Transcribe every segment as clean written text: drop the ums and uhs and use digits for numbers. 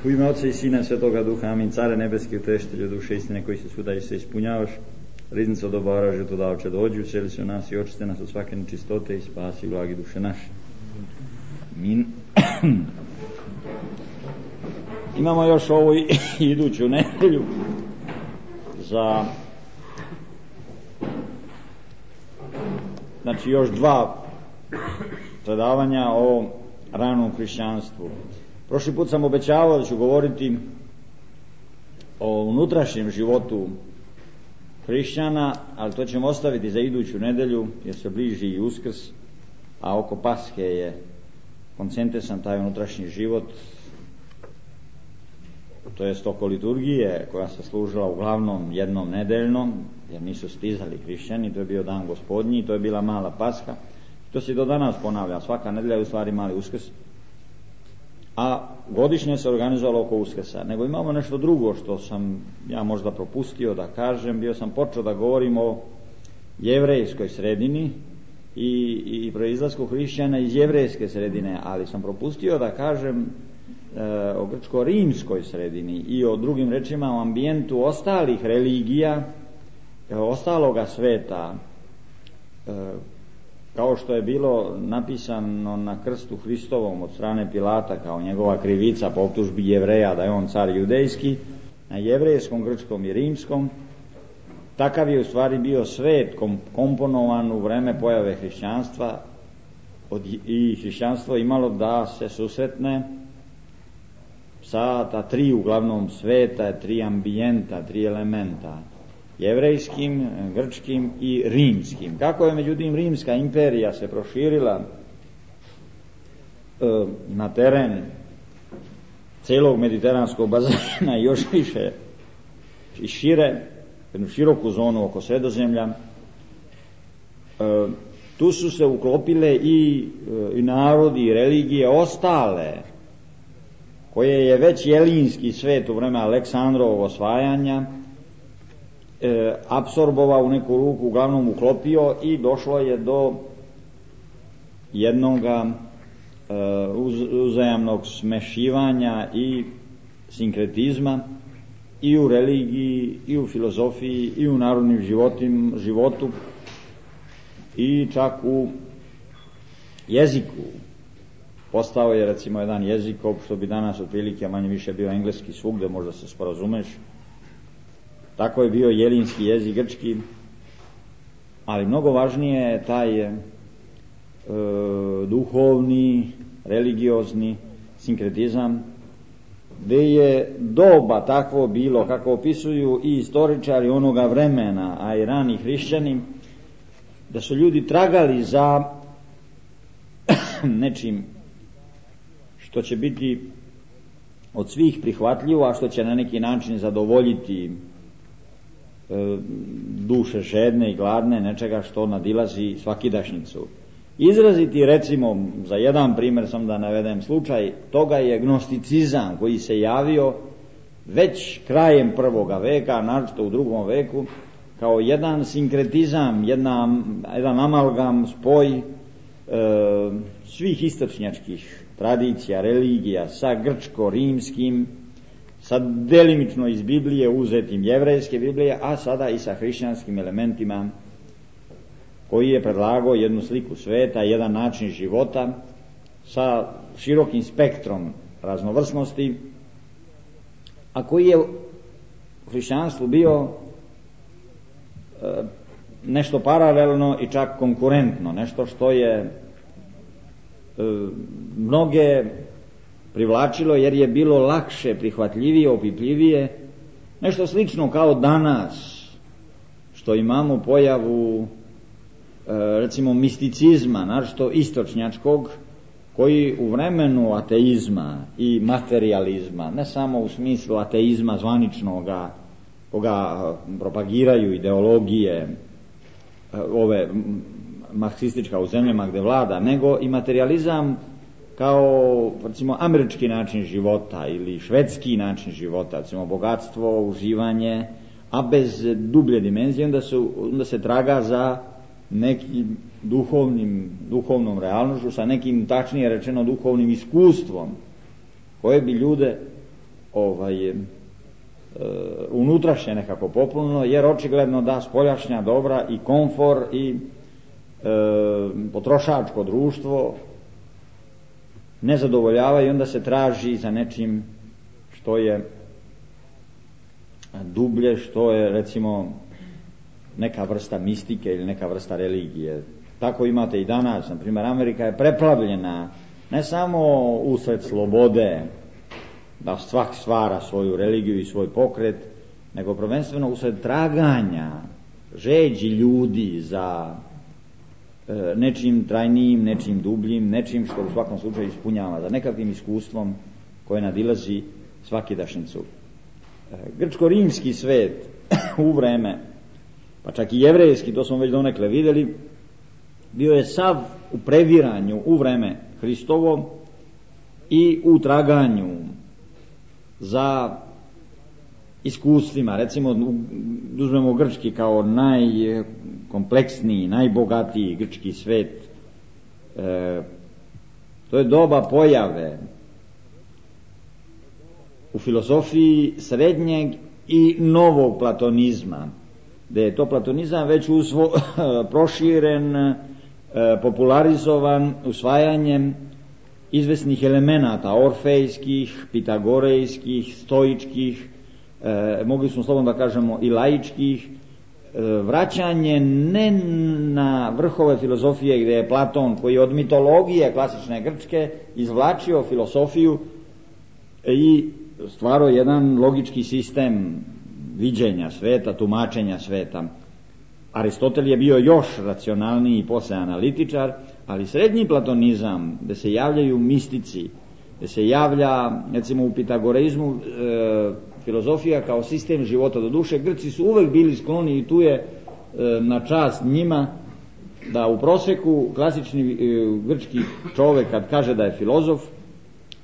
U ime Oca i Sina Svetoga Duha, amin. Care nebeski, utešitelju duše istine, koji se svuda i se ispunjavaš, riznica dobara, žetodavče, dođi, useli se u nas i očiste nas od svake nečistote i spasi blagi duše naše. Amin. Imamo još ovu iduću nedelju za još 2 predavanja o ranom hrišćanstvu. Prošli put sam obećavao da ću govoriti o unutrašnjem životu hrišćana, ali to ćemo ostaviti za iduću nedelju jer se bliži i Uskrs, a oko Paske je koncentrisan taj unutrašnji život, to jest oko liturgije koja se služila uglavnom jednom nedeljnom, jer nisu stizali hrišćani, to je bio dan Gospodnji, to je bila mala Paska, to se do danas ponavlja, svaka nedelja je u stvari mali Uskrs, a godišnje se organizovalo oko Uskrsa. Nego imamo nešto drugo što sam ja možda propustio da kažem. Bio sam počeo da govorim o jevrejskoj sredini i proizlasku hrišćana iz jevrejske sredine, ali sam propustio da kažem o grčko-rimskoj sredini i o drugim rečima o ambijentu ostalih religija, ostaloga sveta, kao što je bilo napisano na krstu Hristovom od strane Pilata kao njegova krivica po optužbi Jevreja da je on car judejski, na jevrejskom, grčkom i rimskom. Takav je u stvari bio svet komponovan u vreme pojave hrišćanstva i hrišćanstvo imalo da se susretne sa ta 3 uglavnom sveta, 3 ambijenta, 3 elementa, jevrejskim, grčkim i rimskim. Kako je međutim rimska imperija se proširila na teren celog mediteranskog bazena i još više i šire, jednu široku zonu oko Sredozemlja, tu su se uklopile i narodi i religije ostale koje je već jelinski svet u vreme Aleksandrovog osvajanja apsorbovao u neku ruku, uglavnom uklopio, i došlo je do jednoga uzajamnog smešivanja i sinkretizma i u religiji, i u filozofiji, i u narodnim životu, i čak u jeziku. Postao je recimo jedan jezik, što bi danas otprilike manje više bio engleski svugde, možda se sporazumeš. Tako je bio jelinski jezik, grčki, ali mnogo važnije je taj duhovni, religiozni sinkretizam, gdje je doba takvo bilo, kako opisuju i istoričari onoga vremena, a i rani hrišćani, da su ljudi tragali za nečim što će biti od svih prihvatljivo, a što će na neki način zadovoljiti duše žedne i gladne, nečega što nadilazi svakidašnjicu. Izraziti, recimo, za jedan primjer sam da navedem slučaj, toga je gnosticizam koji se javio već krajem 1. veka, naročito u 2. veku, kao jedan sinkretizam, jedan amalgam, spoj svih istočnjačkih tradicija, religija sa grčko-rimskim, sa delimično iz Biblije uzetim jevrejske Biblije, a sada i sa hrišćanskim elementima, koji je predlagao jednu sliku sveta, jedan način života sa širokim spektrom raznovrsnosti, a koji je u hrišćanstvu bio nešto paralelno i čak konkurentno, nešto što je mnoge privlačilo jer je bilo lakše, prihvatljivije, opipljivije, nešto slično kao danas što imamo pojavu recimo misticizma, naročito istočnjačkog, koji u vremenu ateizma i materijalizma, ne samo u smislu ateizma zvaničnoga koga propagiraju ideologije ove marksistička u zemljama gdje vlada, nego i materijalizam kao recimo američki način života ili švedski način života, recimo bogatstvo, uživanje, a bez dublje dimenzije, onda se traga za nekim duhovnom realnošću, sa nekim, tačnije rečeno, duhovnim iskustvom koje bi ljude unutrašnje nekako popunilo, jer očigledno da spoljašnja dobra i komfor i potrošačko društvo ne zadovoljava, i onda se traži za nečim što je dublje, što je recimo neka vrsta mistike ili neka vrsta religije. Tako imate i danas, na primjer, Amerika je preplavljena ne samo usred slobode da svak stvara svoju religiju i svoj pokret, nego prvenstveno usred traganja, žeđi ljudi za nečim trajnijim, nečim dubljim, nečim što u svakom slučaju ispunjava, za nekakvim iskustvom koje nadilazi svakidašnjicu. Grčko-rimski svet u vreme, pa čak i jevrejski, to smo već donekle vidjeli, bio je sav u previranju u vreme Hristovo i u traganju za iskustvima. Recimo, uzmemo grčki kao najkompleksniji, najbogatiji grčki svet. To je doba pojave u filozofiji srednjeg i novog platonizma, da je to platonizam već proširen, popularizovan usvajanjem izvesnih elemenata orfejskih, pitagorejskih, stoičkih, mogli smo slobodno da kažemo i laičkih, vraćanje ne na vrhove filozofije gdje je Platon, koji od mitologije klasične grčke izvlačio filosofiju i stvarao jedan logički sistem viđenja sveta, tumačenja sveta. Aristotel je bio još racionalniji i posle analitičar, ali srednji platonizam, gdje se javljaju mistici, gdje se javlja, recimo u pitagoreizmu, filozofija kao sistem života do duše, Grci su uvek bili skloni, i tu je na čast njima, da u prosjeku klasični grčki čovjek kad kaže da je filozof,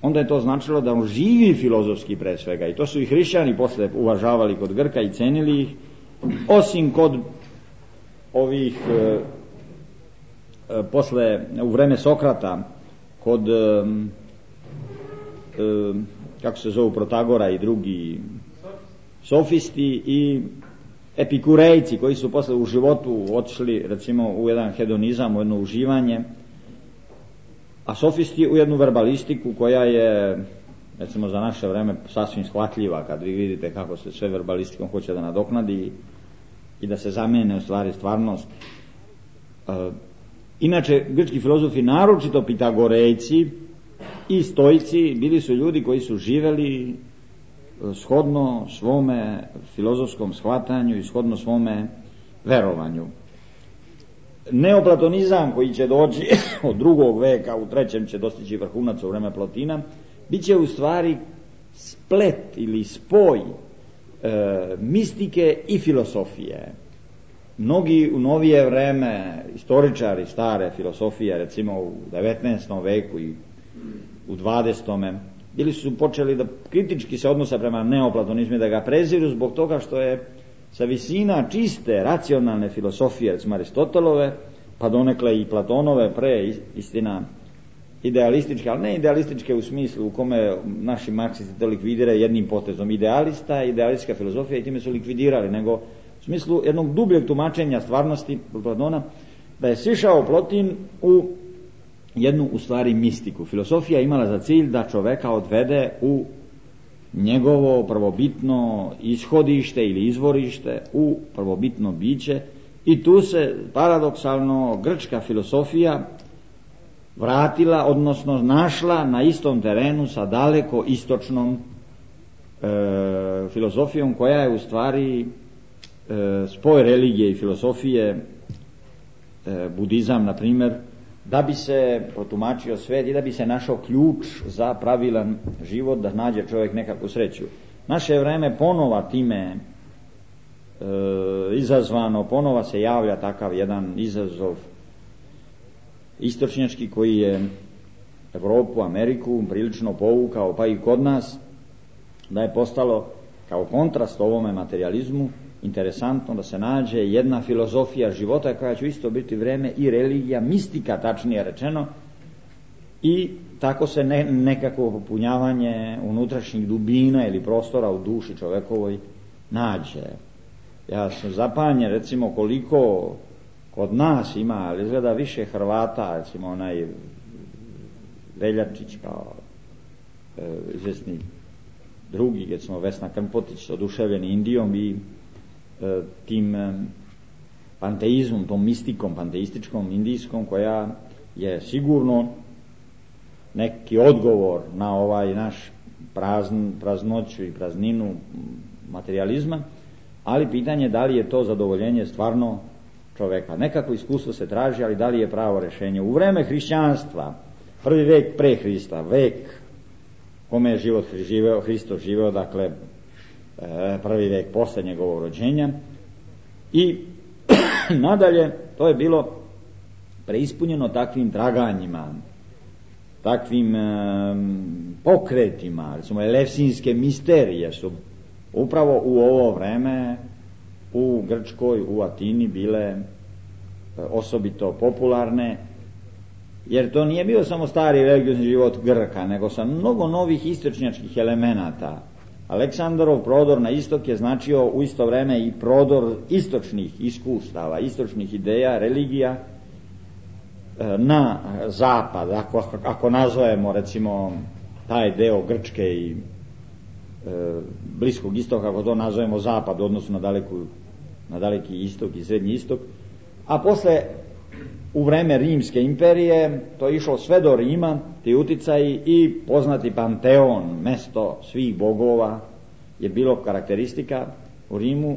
onda je to značilo da on živi filozofski pre svega, i to su i hrišćani posle uvažavali kod Grka i cenili ih, osim kod ovih posle u vreme Sokrata, kod kako se zovu Protagora i drugi sofisti i epikurejci, koji su posle u životu otišli recimo u jedan hedonizam, u jedno uživanje, a sofisti u jednu verbalistiku koja je recimo za naše vreme sasvim shvatljiva, kad vi vidite kako se sve verbalistikom hoće da nadoknadi i da se zamene u stvari stvarnost. Inače, grčki filozofi, naročito pitagorejci i stoici, bili su ljudi koji su živeli shodno svome filozofskom shvatanju i shodno svome verovanju. Neoplatonizam, koji će doći od 2. veka, u 3. će dostići vrhunac u vreme Plotina, bit će u stvari splet ili spoj mistike i filosofije. Mnogi u novije vreme istoričari stare filosofije, recimo u 19. veku i u 20. bili su počeli da kritički se odnose prema neoplatonizmu, da ga preziru zbog toga što je sa visina čiste racionalne filosofije, recimo Aristotelove, pa donekle i Platonove, pre istina idealističke, ali ne idealističke u smislu u kome naši marksisti to likvidiraju jednim potezom. Idealistička filozofija, i time su likvidirali, nego u smislu jednog dubljeg tumačenja stvarnosti Platona, da je sišao Plotin u jednu u stvari mistiku. Filosofija imala za cilj da čoveka odvede u njegovo prvobitno ishodište ili izvorište, u prvobitno biće, i tu se paradoksalno grčka filosofija vratila, odnosno našla na istom terenu sa daleko istočnom filozofijom, koja je u stvari spoj religije i filosofije, budizam na primjer, da bi se protumačio svet i da bi se našao ključ za pravilan život, da nađe čovjek nekakvu sreću. Naše vreme ponova time izazvano, ponova se javlja takav jedan izazov istočnjački, koji je Evropu, Ameriku prilično povukao, pa i kod nas, da je postalo kao kontrast ovome materializmu interesantno da se nađe jedna filozofija života koja će isto biti vreme i religija, mistika tačnije rečeno, i tako se nekako popunjavanje unutrašnjih dubina ili prostora u duši čovekovoj nađe. Ja sam zapanjen recimo koliko kod nas ima, ali izgleda više Hrvata, recimo onaj Veljačić kao izvesni drugi, recimo Vesna Krmpotić, oduševljeni Indijom i tim panteizmom, tom mistikom panteističkom indijskom, koja je sigurno neki odgovor na ovaj naš praznoću i prazninu materializma, ali pitanje da li je to zadovoljenje stvarno čoveka. Nekako iskustvo se traži, ali da li je pravo rješenje. U vreme hrišćanstva, prvi vek pre Hrista, vek kome je Hristos živeo, dakle prvi vek posle njegovog rođenja, i nadalje to je bilo preispunjeno takvim traganjima, takvim pokretima. Recimo elefsinske misterije su upravo u ovo vreme u Grčkoj, u Atini bile osobito popularne, jer to nije bio samo stari religiozni život Grka, nego sa mnogo novih istočnjačkih elemenata. Aleksandrov prodor na istok je značio u isto vreme i prodor istočnih iskustava, istočnih ideja, religija na zapad, ako nazovemo recimo taj deo Grčke i Bliskog istoka, ako to nazovemo zapad u odnosu na daleki istok i srednji istok, a posle u vreme Rimske imperije to je išlo sve do Rima, ti uticaji, i poznati Panteon, mesto svih bogova, je bilo karakteristika u Rimu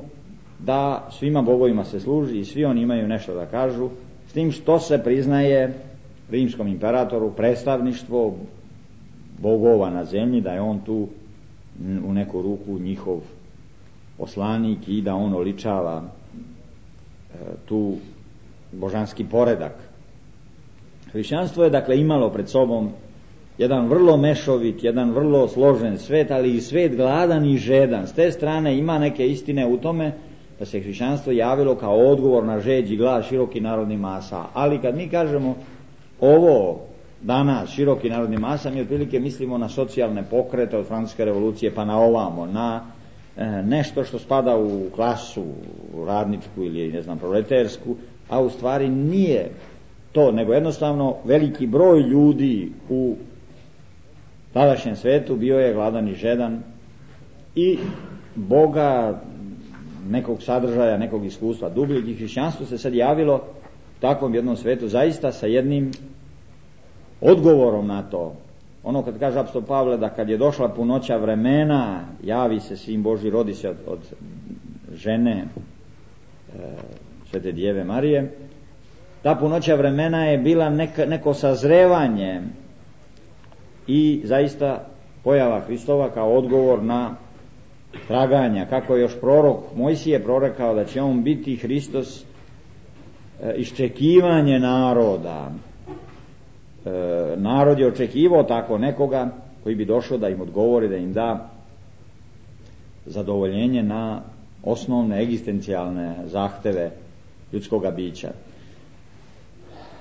da svima bogovima se služi i svi oni imaju nešto da kažu, s tim što se priznaje rimskom imperatoru predstavništvo bogova na zemlji, da je on tu u neku ruku njihov poslanik i da on oličava tu božanski poredak. Hrišćanstvo je dakle imalo pred sobom jedan vrlo mešovit, jedan vrlo složen svet, ali i svet gladan i žedan. S te strane ima neke istine u tome da se hrišćanstvo javilo kao odgovor na žeđ i glad širokih narodnih masa. Ali kad mi kažemo ovo danas široki narodni masa, mi otprilike mislimo na socijalne pokrete od Francuske revolucije pa na ovamo, na nešto što spada u klasu radničku ili ne znam proletersku, a u stvari nije to, nego jednostavno veliki broj ljudi u tadašnjem svetu bio je gladan i žedan i Boga, nekog sadržaja, nekog iskustva dubljeg, i hrišćanstvo se sad javilo u takvom jednom svetu zaista sa jednim odgovorom na to. Ono kad kaže apostol Pavle da kad je došla punoća vremena javi se Sin Božji, rodi se od žene Svete Djeve Marije, ta punoća vremena je bila neko sazrevanje i zaista pojava Hristova kao odgovor na traganja, kako je još prorok Mojsije prorekao da će on biti Hristos, iščekivanje naroda. Narod je očekivao tako nekoga koji bi došao da im odgovori, da im da zadovoljenje na osnovne egzistencijalne zahteve ljudskoga bića.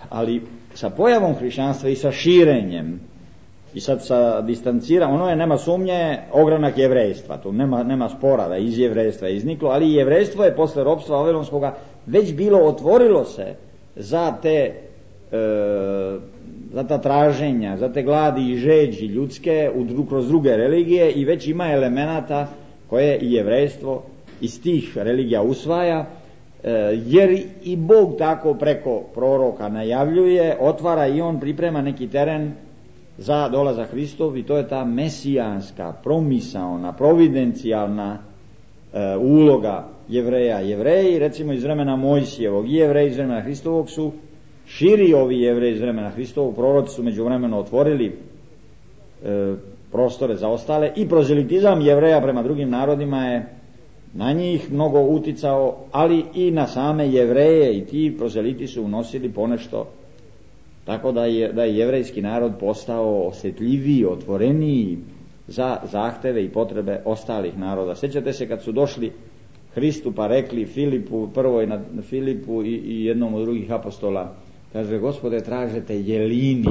Ali sa pojavom hrišćanstva i sa širenjem i sad sa distanciranjem, ono je, nema sumnje, ogranak jevrejstva, tu nema spora da iz jevrejstva je izniklo, ali jevrejstvo je posle ropstva vavilonskoga već bilo, otvorilo se za te za ta traženja, za te gladi i žeđi ljudske kroz druge religije, i već ima elemenata koje i jevrejstvo iz tih religija usvaja, jer i Bog tako preko proroka najavljuje, otvara i on priprema neki teren za dolazak Hristov, i to je ta mesijanska, promisaona, providencijalna uloga Jevreja. Jevreji recimo iz vremena Mojsijevog i Jevreji iz vremena Hristovog su širi, ovi Jevreji iz vremena Hristovog, proroci su međuvremeno otvorili prostore za ostale, i prozelitizam Jevreja prema drugim narodima je na njih mnogo uticao, ali i na same Jevreje, i ti prozeliti su unosili ponešto, tako da je jevrejski narod postao osjetljiviji, otvoreniji za zahteve i potrebe ostalih naroda. Sjećate se kad su došli Hristu pa rekli Filipu, prvoj na Filipu i jednom od drugih apostola, kaže, Gospode, tražete jelini.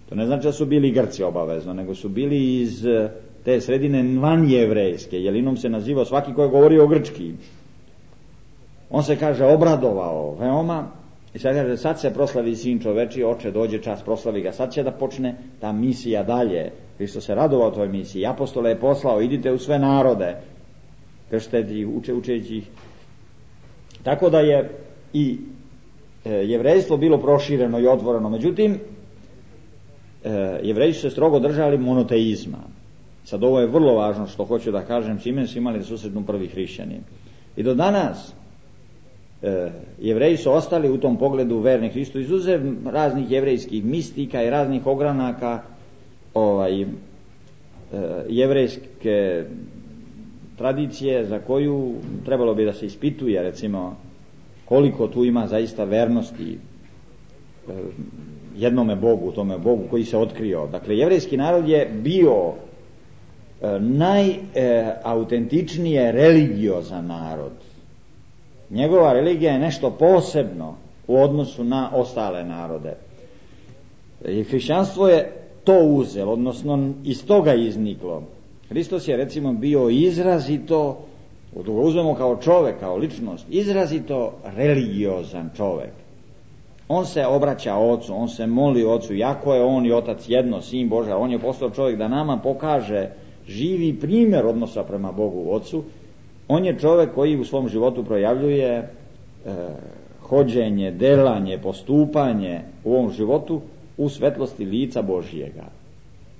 To ne znači da su bili Grci obavezno, nego su bili iz te sredine vanjevrejske. Jelinom se nazivao svaki koji je govorio grčki. On se, kaže, obradovao veoma i sad kaže, sad se proslavi sin čoveči, oče, dođe čas, proslavi ga, sad će da počne ta misija dalje. Hristos se radovao toj misiji, apostole je poslao, idite u sve narode, krštite ih, učeći ih. Tako da je i jevrejstvo bilo prošireno i otvoreno. Međutim, Jevreji su se strogo držali monoteizma. Sad ovo je vrlo važno što hoću da kažem, čime su imali da susretnu prvi hrišćani. I do danas Jevreji su ostali u tom pogledu verni Hristu, izuzev raznih jevrejskih mistika i raznih ogranaka jevrejske tradicije za koju trebalo bi da se ispituje, recimo koliko tu ima zaista vernosti jednome Bogu, tome Bogu koji se otkrio. Dakle, jevrejski narod je bio najautentičnije religiozan narod. Njegova religija je nešto posebno u odnosu na ostale narode. I hrišćanstvo je to uzelo, odnosno iz toga izniklo. Hristos je, recimo, bio izrazito, da ga uzmemo kao čovek, kao ličnost, izrazito religiozan čovek. On se obraća Ocu, on se moli Ocu, jako je on i Otac jedno, Sin Božja, on je postao čovjek da nama pokaže živi primjer odnosa prema Bogu Ocu. On je čovjek koji u svom životu projavljuje hođenje, delanje, postupanje u ovom životu u svetlosti lica Božjega.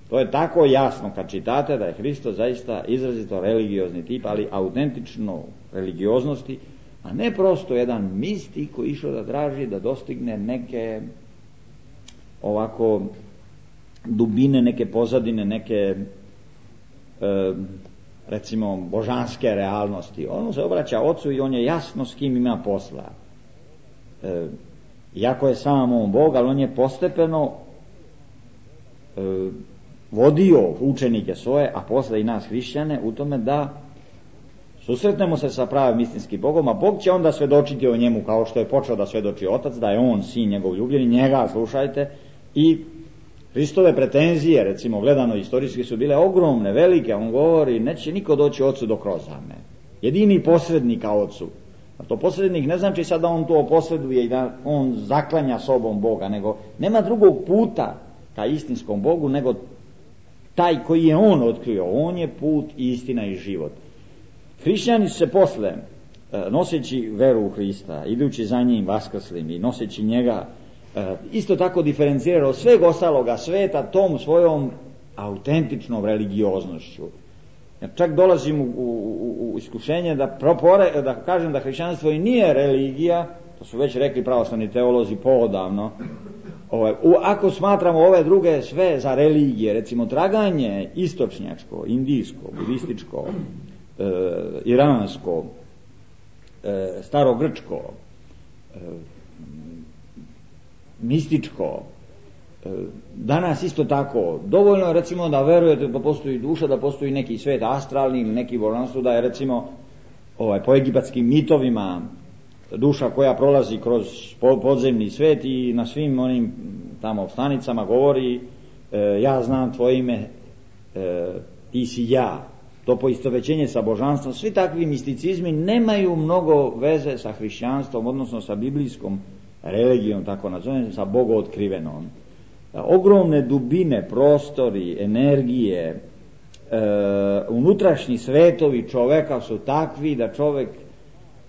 To je tako jasno kad čitate da je Hristos zaista izrazito religiozni tip, ali autentično religioznosti, a ne prosto jedan mistik koji išao da traži da dostigne neke ovako dubine, neke pozadine, neke recimo božanske realnosti. On se obraća Ocu i on je jasno s kim ima posla. Iako je sam on Bog, ali on je postepeno vodio učenike svoje, a posle i nas hrišćane, u tome da susretnemo se sa pravim istinskim Bogom, a Bog će onda svedočiti o njemu kao što je počeo da svedoči Otac, da je on sin njegov ljubljeni, njega slušajte. I Hristove pretenzije, recimo gledano istorijski, su bile ogromne, velike. On govori, neće niko doći Ocu do kroz me. Jedini posrednik ka Ocu. A to posrednik ne znači sad da on to posreduje i da on zaklanja sobom Boga, nego nema drugog puta ka istinskom Bogu nego taj koji je on otkrio. On je put, istina i život. Hrišćani su se posle, noseći veru u Hrista, idući za njim vaskrslim i noseći njega, isto tako diferencirali od sveg ostaloga sveta tom svojom autentičnom religioznošću. Čak dolazim u iskušenje da kažem da hrišćanstvo i nije religija, to su već rekli pravoslavni teolozi poodavno. Ako smatramo ove druge sve za religije, recimo traganje istočnjačko, indijsko, budističko, iransko, starogrčko, mističko, danas isto tako, dovoljno je recimo da verujete da postoji duša, da postoji neki svet astralni ili neki božanstvo, da je recimo po egipatskim mitovima duša koja prolazi kroz podzemni svet i na svim onim tamo stanicama govori ja znam tvoje ime, ti si ja. To poistovećenje sa božanstvom, svi takvi misticizmi nemaju mnogo veze sa hrišćanstvom, odnosno sa biblijskom religijom, tako nazovem, sa bogootkrivenom. Ogromne dubine, prostori, energije, unutrašnji svetovi čoveka su takvi da čovek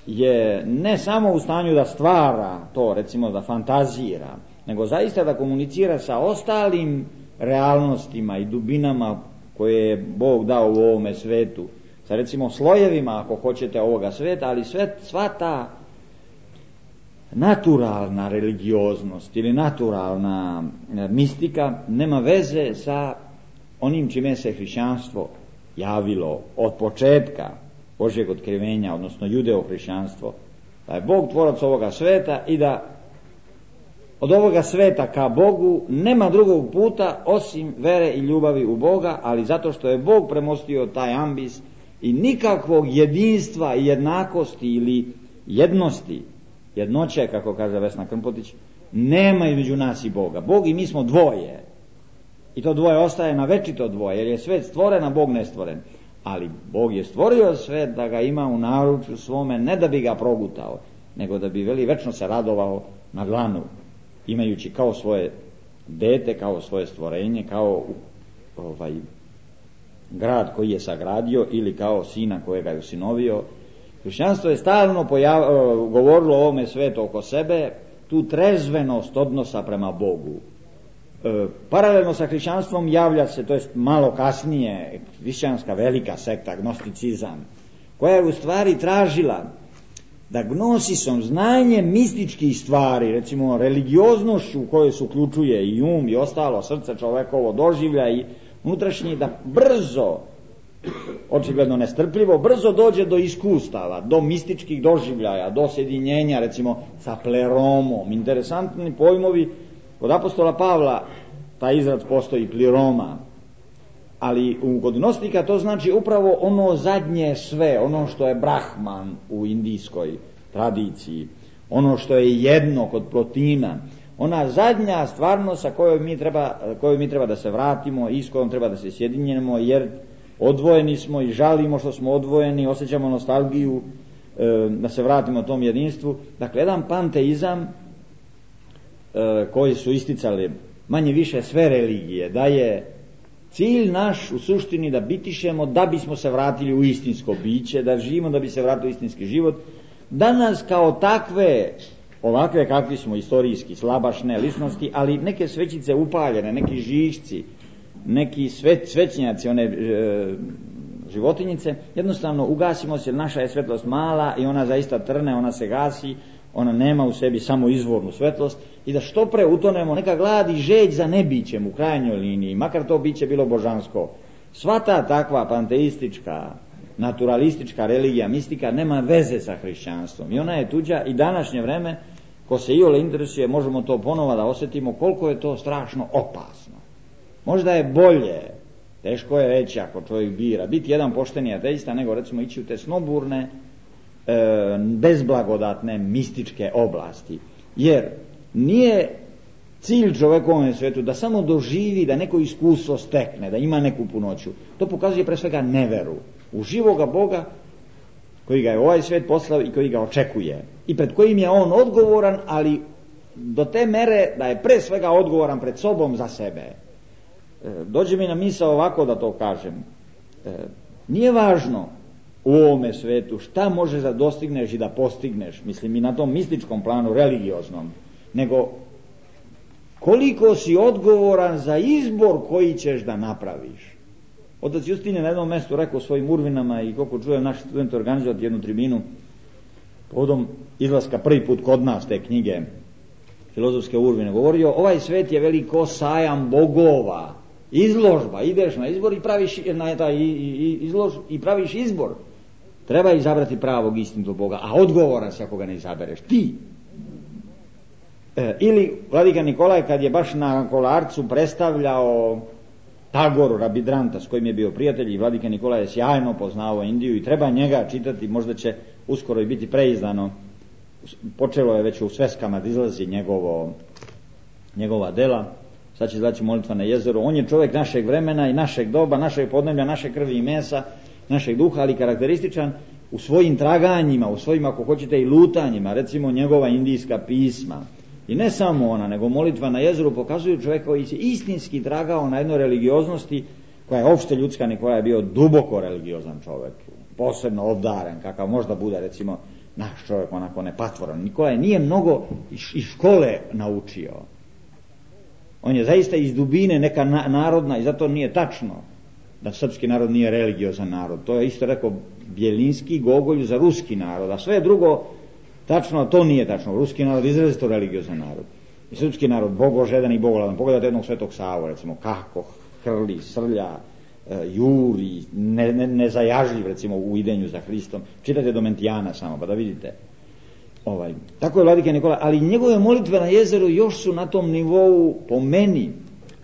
je ne samo u stanju da stvara to, recimo da fantazira, nego zaista da komunicira sa ostalim realnostima i dubinama koje je Bog dao u ovome svetu, sa recimo slojevima, ako hoćete, ovoga sveta, ali sva ta naturalna religioznost ili naturalna mistika nema veze sa onim čime se hrišćanstvo javilo od početka Božjeg otkrivenja, odnosno judeo-hrišćanstvo, da je Bog tvorac ovoga sveta i da od ovoga sveta ka Bogu nema drugog puta osim vere i ljubavi u Boga, ali zato što je Bog premostio taj ambis i nikakvog jedinstva i jednakosti ili jednosti, jednoće, kako kaže Vesna Krmpotić, nema između nas i Boga. Bog i mi smo dvoje. I to dvoje ostaje na večito dvoje, jer je svet stvoren, a Bog nestvoren. Ali Bog je stvorio svet da ga ima u naručju svome, ne da bi ga progutao, nego da bi večno se radovao na dlanu, imajući kao svoje dete, kao svoje stvorenje, kao grad koji je sagradio ili kao sina kojega je usinovio. Hrišćanstvo je stalno govorilo o ovome svetu oko sebe, tu trezvenost odnosa prema Bogu. Paralelno sa hrišćanstvom javlja se, to jest malo kasnije, hrišćanska velika sekta, gnosticizam, koja je u stvari tražila da gnosisom, znanjem mističkih stvari, recimo religioznošću u kojoj se uključuje i i ostalo, srce čovekovo, doživlja i unutrašnji, da brzo, očigledno nestrpljivo, brzo dođe do iskustava, do mističkih doživljaja, do sjedinjenja, recimo sa pleromom. Interesantni pojmovi. Kod apostola Pavla taj izraz postoji, pliroma, ali kod gnostika to znači upravo ono zadnje sve, ono što je Brahman u indijskoj tradiciji, ono što je jedno kod Plotina, ona zadnja stvarnost sa kojoj mi treba da se vratimo i s kojom treba da se sjedinjemo, jer odvojeni smo i žalimo što smo odvojeni, osjećamo nostalgiju da se vratimo tom jedinstvu. Dakle, jedan panteizam koji su isticali manje više sve religije, da je cilj naš u suštini da bitišemo da bismo se vratili u istinsko biće, da živimo da bi se vratili u istinski život. Danas kao takve, ovakve kakvi smo istorijski, slabašne ličnosti, ali neke svećice upaljene, neki žišci, neki svećnjaci, one životinjice, jednostavno ugasimo se, jer naša je svetlost mala i ona zaista trne, ona se gasi, ona nema u sebi samo izvornu svetlost, i da što pre utonemo, neka glad i žeđ za nebićem u krajnjoj liniji, makar to biće bilo božansko. Svata takva panteistička, naturalistička religija, mistika nema veze sa hrišćanstvom i ona je tuđa. I današnje vreme, ko se iole interesuje, možemo to ponovo da osjetimo koliko je to strašno opasno. Možda je bolje, teško je reći ako čovjek bira, biti jedan pošteni ateista nego recimo ići u te snoburne, bezblagodatne mističke oblasti, jer nije cilj čovekovom svijetu da samo doživi, da neko iskustvo stekne, da ima neku punoću. To pokazuje pre svega neveru u živoga Boga koji ga je ovaj svijet poslao i koji ga očekuje i pred kojim je on odgovoran, ali do te mere da je pre svega odgovoran pred sobom za sebe. Dođe mi na misao ovako da to kažem, nije važno u ovome svetu šta možeš da dostigneš i da postigneš, mislim i na tom mističkom planu, religioznom, nego koliko si odgovoran za izbor koji ćeš da napraviš. Otac Justin je na jednom mjestu rekao svojim urvinama, i koliko čujem naši studenti organizovati jednu tribinu povodom izlaska prvi put kod nas te knjige filozofske urvine, govorio, ovaj svet je veliko sajam bogova, izložba, ideš na izbor i praviš praviš izbor. Treba izabrati pravog istinitog Boga, a odgovoran si ako ga ne izabereš ti. Ili vladika Nikolaj kad je baš na Kolarcu predstavljao Tagoru, Rabindranata, s kojim je bio prijatelj, i vladika Nikolaj je sjajno poznavao Indiju i treba njega čitati, možda će uskoro i biti preizdano. Počelo je već u sveskama da izlazi njegova dela, sad će znači Molitva na jezeru. On je čovjek našeg vremena i našeg doba, našeg podneblja, naše krvi i mesa, našeg duha, ali karakterističan u svojim traganjima, u svojim, ako hoćete, i lutanjima, recimo njegova indijska pisma. I ne samo ona, nego Molitva na jezeru pokazuju čovjeka koji se istinski tragao na jednoj religioznosti koja je opšte ljudska. Nikola je bio duboko religiozan čovjek, posebno obdaren, kakav možda bude recimo naš čovjek, onako nepatvoran. Nikola nije mnogo iz škole naučio. On je zaista iz dubine neka narodna, i zato nije tačno da srpski narod nije religiozan narod. To je isto rekao Bjelinski Gogolju za ruski narod, a sve drugo tačno, to nije tačno. Ruski narod je izrazito religiozan narod. I srpski narod bogožedan i bogoladan. Pogledajte jednog Svetog Savu, recimo, kako hrli, srlja, juri, nezajažljiv recimo u idenju za Hristom. Čitajte Domentijana samo pa da vidite. Tako je vladika Nikola, ali njegove molitve na jezeru još su na tom nivou, po meni,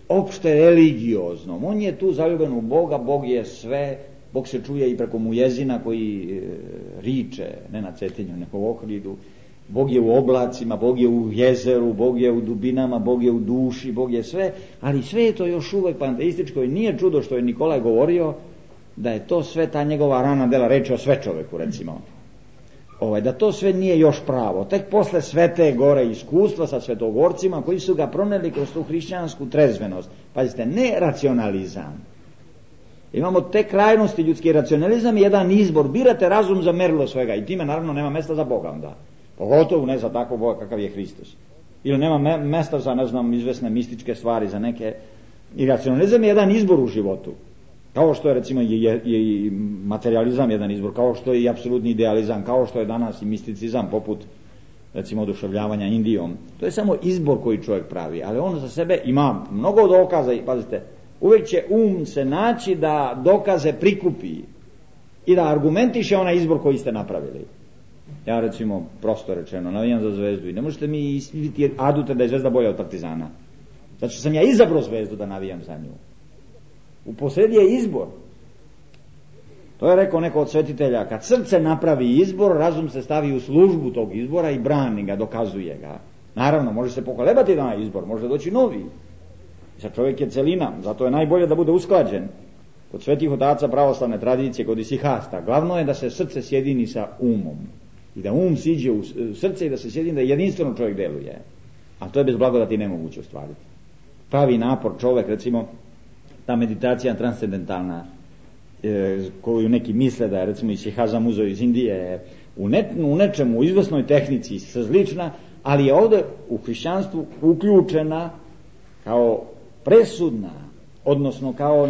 opšte religioznom. On je tu zaljubljen u Boga, Bog je sve, Bog se čuje i preko mujezina koji riče, ne na Cetinju, nego u Ohridu. Bog je u oblacima, Bog je u jezeru, Bog je u dubinama, Bog je u duši, Bog je sve, ali sve je to još uvijek panteističko i nije čudo što je Nikolaj govorio da je to sve ta njegova rana dela, reči o sve čoveku, recimo. Da to sve nije još pravo. Tek posle Svete Gore iskustva sa svetogorcima koji su ga proneli kroz tu hrišćansku trezvenost. Pazite, ne racionalizam. Imamo te krajnosti, ljudski racionalizam i jedan izbor. Birate razum za merilo svega i time naravno nema mesta za Boga onda. Pogotovo ne za takvog Boga kakav je Hristos. Ili nema mesta za, ne znam, izvesne mističke stvari, za neke. I racionalizam je jedan izbor u životu. Kao što je recimo i materializam jedan izbor, kao što je i apsolutni idealizam, kao što je danas i misticizam poput recimo oduševljavanja Indijom. To je samo izbor koji čovjek pravi, ali on za sebe ima mnogo dokaza i pazite, uvijek će se naći da dokaze prikupi i da argumentiše onaj izbor koji ste napravili. Ja recimo, prosto rečeno, navijam za Zvezdu i ne možete mi istiviti adute da je Zvezda bolja od Partizana. Zato što sam ja izabrao Zvezdu da navijam za nju. U posredi je izbor. To je rekao neko od svetitelja, kad srce napravi izbor, razum se stavi u službu tog izbora i brani ga, dokazuje ga. Naravno, može se pokolebati na izbor, može doći novi. Sad čovjek je celina, zato je najbolje da bude usklađen. Kod svetih otaca pravoslavne tradicije, kod isihasta, glavno je da se srce sjedini sa umom. I da um siđe u srce i da se sjedini, da jedinstveno čovjek deluje. A to je bez blagodati nemoguće ostvariti. Pravi napor čovjek, recimo, ta meditacija transcendentalna, koju neki misle da je recimo isihazam uzeo iz Indije, u nečemu, u izvrsnoj tehnici slična, ali je ovdje u hrišćanstvu uključena kao presudna, odnosno kao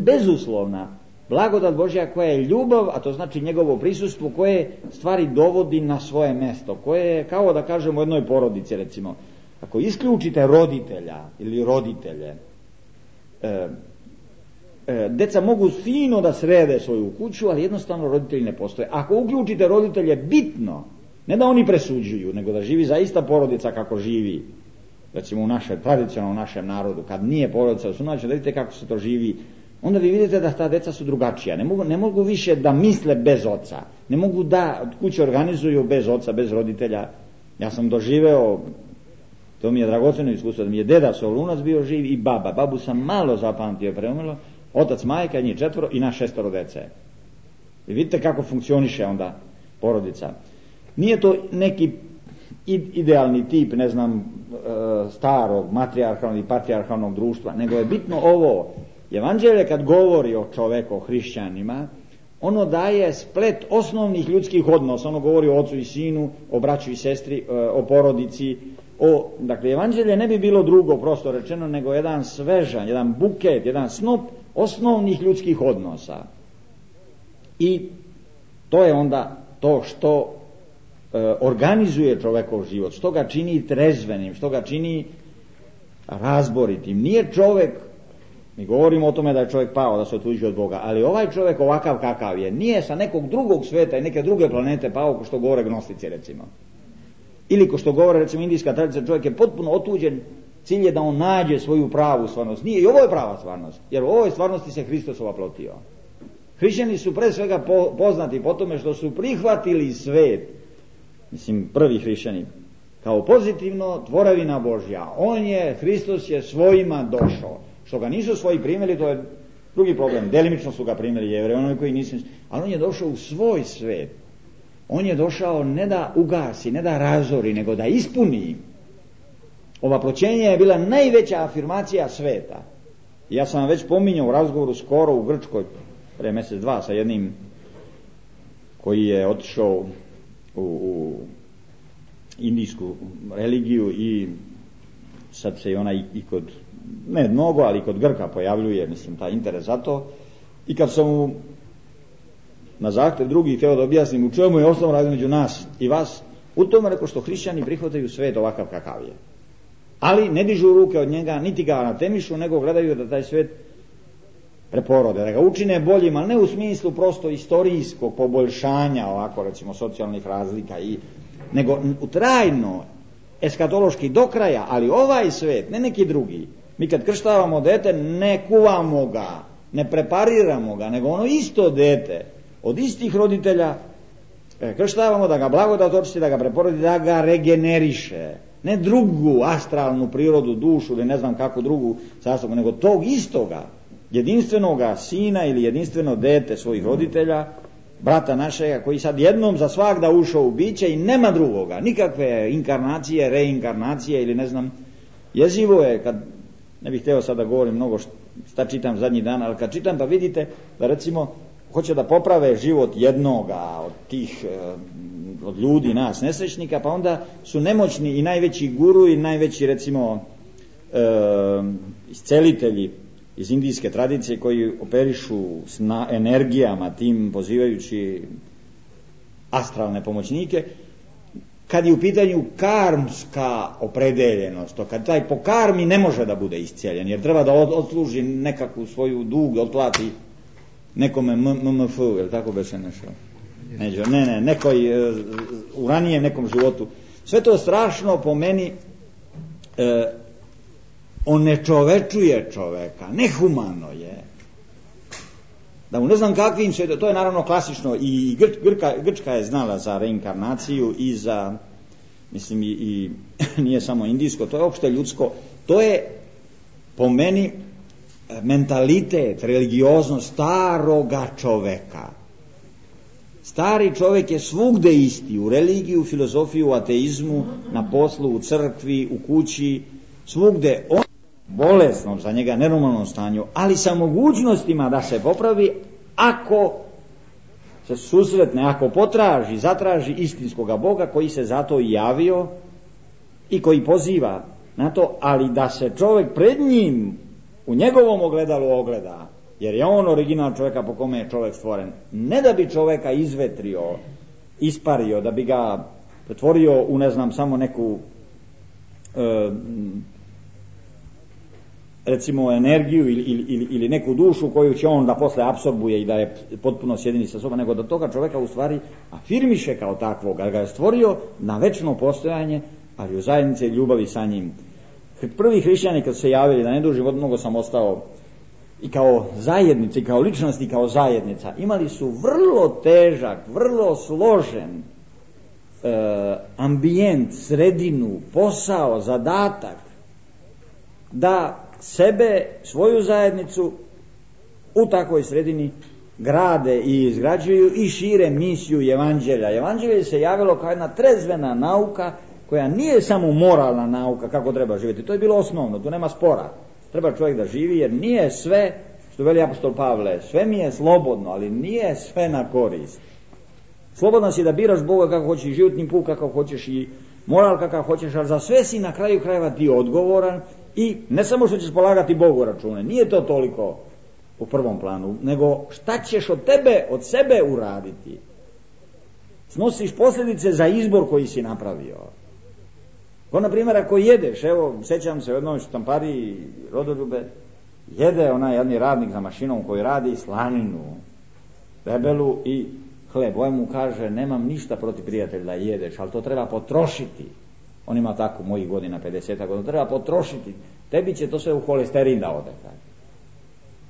bezuslovna blagodat Božja koja je ljubav, a to znači njegovo prisustvo koje stvari dovodi na svoje mesto, koje je kao da kažemo u jednoj porodici recimo. Ako isključite roditelja ili roditelje, deca mogu fino da srede svoju kuću, ali jednostavno roditelji ne postoje. Ako uključite roditelje bitno, ne da oni presuđuju, nego da živi zaista porodica kako živi, recimo tradicionalno u našem narodu, kad nije porodica u sunaću, da vidite kako se to živi, onda vi vidite da ta deca su drugačija. Ne mogu više da misle bez oca, ne mogu da kuće organizuju bez oca, bez roditelja. Ja sam doživeo, to mi je dragoceno iskustvo, da mi je deda Solunac bio živ i baba. Babu sam malo zapamtio, preumrlo, otac, majka, njih 4 i nas 6 dece. I vidite kako funkcioniše onda porodica. Nije to neki idealni tip, ne znam, starog, matrijarhalnog i patrijarhalnog društva, nego je bitno ovo. Evanđelje kad govori o čoveku, o hrišćanima, ono daje splet osnovnih ljudskih odnosa. Ono govori o ocu i sinu, o braću i sestri, o porodici. Dakle, evanđelje ne bi bilo drugo, prosto rečeno, nego jedan svežanj, jedan buket, jedan snop osnovnih ljudskih odnosa. I to je onda to što organizuje čovekov život, što ga čini trezvenim, što ga čini razboritim. Nije čovek, mi govorimo o tome da je čovjek pao, da se otuđuje od Boga, ali ovaj čovjek ovakav kakav je, nije sa nekog drugog sveta i neke druge planete pao, ko što govore gnostici recimo. Ili ko što govore recimo indijska tradicija, čovjek je potpuno otuđen, cilj je da on nađe svoju pravu stvarnost. Nije, i ovo je prava stvarnost, jer u ovoj stvarnosti se Hristos ovaplotio. Hrišćani su pre svega poznati po tome što su prihvatili svet, mislim prvi hrišćani, kao pozitivno tvorevina Božja. Hristos je svojima došao. Što ga nisu svoji primjeli, to je drugi problem. Delimično su ga primjeli Jevreji, oni koji nisu, ali on je došao u svoj svet. On je došao ne da ugasi, ne da razori, nego da ispuni. Ova proćenja je bila najveća afirmacija sveta. Ja sam vam već pominjao u razgovoru skoro u Grčkoj, pre mjesec dva, sa jednim koji je otišao u indijsku religiju i sad se i ona i kod, ne mnogo, ali kod Grka pojavljuje, mislim, taj interes za to. I kad sam mu na zahtev drugih htio da objasnim u čemu je osnovno razlika među nas i vas, u tome rekao što hrišćani prihvataju svet ovakav kakav je. Ali ne dižu ruke od njega, niti ga anatemišu, nego gledaju da taj svet preporode, da ga učine boljim, ali ne u smislu prosto istorijskog poboljšanja, ovako recimo socijalnih razlika, nego trajno, eskatološki do kraja, ali ovaj svet, ne neki drugi. Mi kad krštavamo dete, ne kuvamo ga, ne prepariramo ga, nego ono isto dete, od istih roditelja, krštavamo da ga blagodat očisti, da ga preporodi, da ga regeneriše. Ne drugu astralnu prirodu, dušu ili ne znam kakvu drugu sastavu, nego tog istoga, jedinstvenoga sina ili jedinstveno dete svojih roditelja, brata našega, koji sad jednom za svagda ušao u biće i nema drugoga, nikakve inkarnacije, reinkarnacije ili ne znam. Jezivo je, kad, ne bih htio sad da govorim mnogo šta čitam zadnjih dana, ali kad čitam pa vidite da recimo hoće da poprave život jednoga od tih od ljudi, nas nesrećnika, pa onda su nemoćni i najveći guru i najveći recimo iscelitelji iz indijske tradicije koji operišu s energijama tim, pozivajući astralne pomoćnike, kad je u pitanju karmska opredeljenost, to kad taj po karmi ne može da bude iscijeljen, jer treba da odsluži nekakvu svoju dug, otplati nekome MMF, je li tako beše nešto? Ne, nekoj u ranijem nekom životu. Sve to strašno po meni onečovečuje čoveka, nehumano je. Da mu ne znam kakvim se, to je naravno klasično, i Grčka je znala za reinkarnaciju i za, mislim i nije samo indijsko, to je opšte ljudsko, to je po meni mentalitet, religioznost staroga čoveka. Stari čovjek je svugde isti, u religiji, u filozofiji, u ateizmu, na poslu, u crkvi, u kući, svugde on bolesnom, za njega nenormalnom stanju, ali sa mogućnostima da se popravi ako se susretne, ako potraži, zatraži istinskoga Boga koji se zato i javio i koji poziva na to, ali da se čovjek pred njim u njegovom ogledalu ogleda, jer je on original čovjeka po kome je čovjek stvoren, ne da bi čovjeka izvetrio, ispario, da bi ga pretvorio u ne znam samo neku recimo energiju ili neku dušu koju će on da posle apsorbuje i da je potpuno sjedini sa sobom, nego da toga čovjeka u stvari afirmiše kao takvog, ali ga je stvorio na večno postojanje, ali u zajednici ljubavi sa njim. Prvi hrišćani kad se javili, da ne duži život, mnogo sam ostao i kao zajednica, i kao ličnost, i kao zajednica, imali su vrlo težak, vrlo složen ambijent, sredinu, posao, zadatak da sebe, svoju zajednicu u takvoj sredini grade i izgrađuju i šire misiju evanđelja. Evanđelje se javilo kao jedna trezvena nauka koja nije samo moralna nauka kako treba živjeti. To je bilo osnovno, tu nema spora. Treba čovjek da živi, jer nije sve, što veli apostol Pavle, sve mi je slobodno, ali nije sve na korist. Slobodno si da biraš Boga kako hoćeš, i životni put kako hoćeš, i moral kakav hoćeš, ali za sve si na kraju krajeva ti odgovoran. I ne samo što ćeš polagati Bogu račune, nije to toliko u prvom planu, nego šta ćeš od tebe, od sebe uraditi. Snosiš posljedice za izbor koji si napravio. Ko na primjer ako jedeš, evo sjećam se u jednoj štampari Rodoljube, jede onaj jedni radnik za mašinom koji radi slaninu, debelu i hleb. Ovaj mu kaže, nemam ništa protiv prijatelja da jedeš, ali to treba potrošiti. On ima tako mojih godina, 50 godina, treba potrošiti, tebi će to sve u holesterin da ode.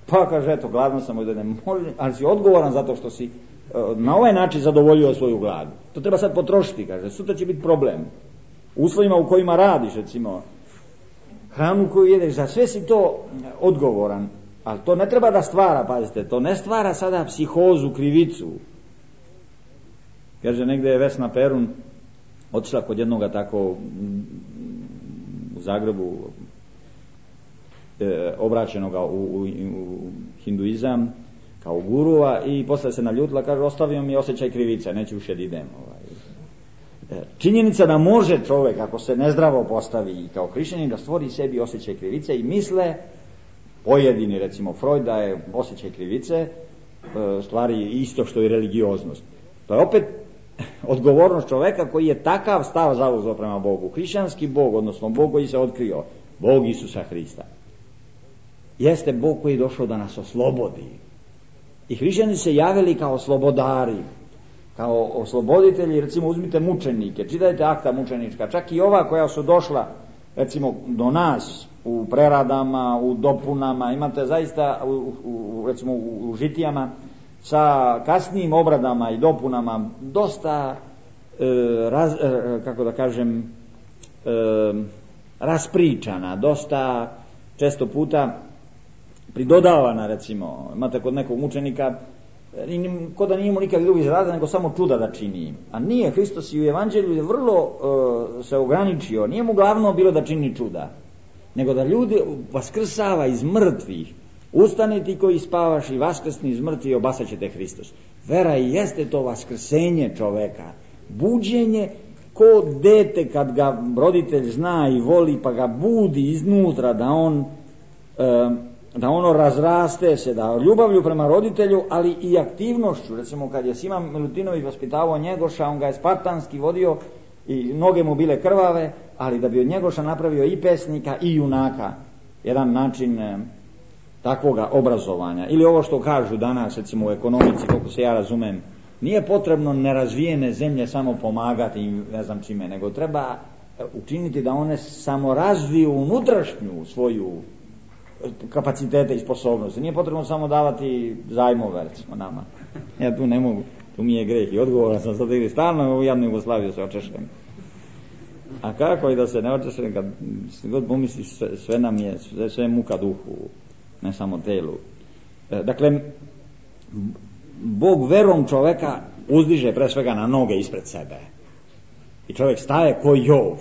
Pa kaže, eto, gladno sam, ali si odgovoran zato što si na ovaj način zadovoljio svoju gladu. To treba sad potrošiti, kaže, sutra će biti problem. U uslovima u kojima radiš, recimo, hranu koju jedeš, za sve si to odgovoran, ali to ne treba da stvara, pazite, to ne stvara sada psihozu, krivicu. Kaže, negdje je Vesna Perun otišla kod jednoga tako u Zagrebu obraćenoga u hinduizam kao gurua i posle se naljutila, kaže, ostavio mi osjećaj krivice, neću više da idem. Činjenica da može čovjek, ako se nezdravo postavi kao hrišćanin, da stvori sebi osjećaj krivice i misle, pojedini, recimo Freud, da je osjećaj krivice stvari isto što i religioznost. To je opet odgovornost čovjeka koji je takav stav zauzeo prema Bogu. Hrišćanski Bog, odnosno Bog koji se otkrio, Bog Isusa Hrista, jeste Bog koji je došao da nas oslobodi. I hrišćani se javili kao slobodari, kao osloboditelji. Recimo uzmite mučenike, čitajte akta mučenička, čak i ova koja su došla recimo do nas u preradama, u dopunama, imate zaista recimo u žitijama sa kasnijim obradama i dopunama dosta kako da kažem raspričana, dosta često puta pridodavana. Recimo imate kod nekog učenika ko da nije imao nikakvih drugih zadatka nego samo čuda da čini, a nije. Hristos i u evanđelju je vrlo se ograničio, nije mu glavno bilo da čini čuda, nego da ljude vaskrsava iz mrtvih. Ustani ti koji spavaš i vaskrsni iz mrtvih, obasat će te Hristos. Vera i jeste to vaskrsenje čoveka, buđenje, ko dete kad ga roditelj zna i voli pa ga budi iznutra da ono razraste se, da ljubavlju prema roditelju, ali i aktivnošću. Recimo kad je Sima Milutinović vaspitavao Njegoša, on ga je spartanski vodio i noge mu bile krvave, ali da bi od Njegoša napravio i pesnika i junaka, jedan način takvoga obrazovanja. Ili ovo što kažu danas recimo u ekonomici, koliko se ja razumem, nije potrebno nerazvijene zemlje samo pomagati im ne znam čime, nego treba učiniti da one samo razviju unutrašnju svoju kapacitete i sposobnosti. Nije potrebno samo davati zajmove recimo nama. Ja tu ne mogu, tu mi je greh i odgovoran sam sad ili stalno u jadnu Jugoslaviju se očešem. A kako i da se ne očešem kad god pomisliš sve nam je, sve muka duhu, ne samo telu. Dakle, Bog verom čoveka uzdiže pre svega na noge ispred sebe. I čovjek staje ko Jov.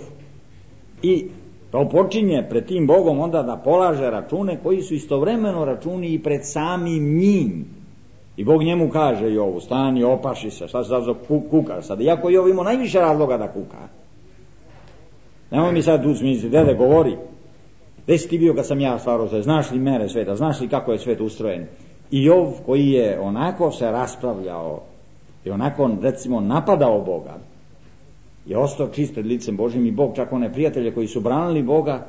I to počinje pred tim Bogom onda da polaže račune koji su istovremeno računi i pred samim njim. I Bog njemu kaže Jovu, stani, opaši se, šta se sad kukaš sad. Iako Jov imao najviše razloga da kuka. Nemoj mi sad tu smisliti, dede govori, gdje si ti bio kad sam ja stvarao sve, znaš li mere sveta, znaš li kako je svet ustrojen. I Jov koji je onako se raspravljao i onako recimo napadao Boga, je ostao čist pred licem Božim i Bog čak one prijatelje koji su branili Boga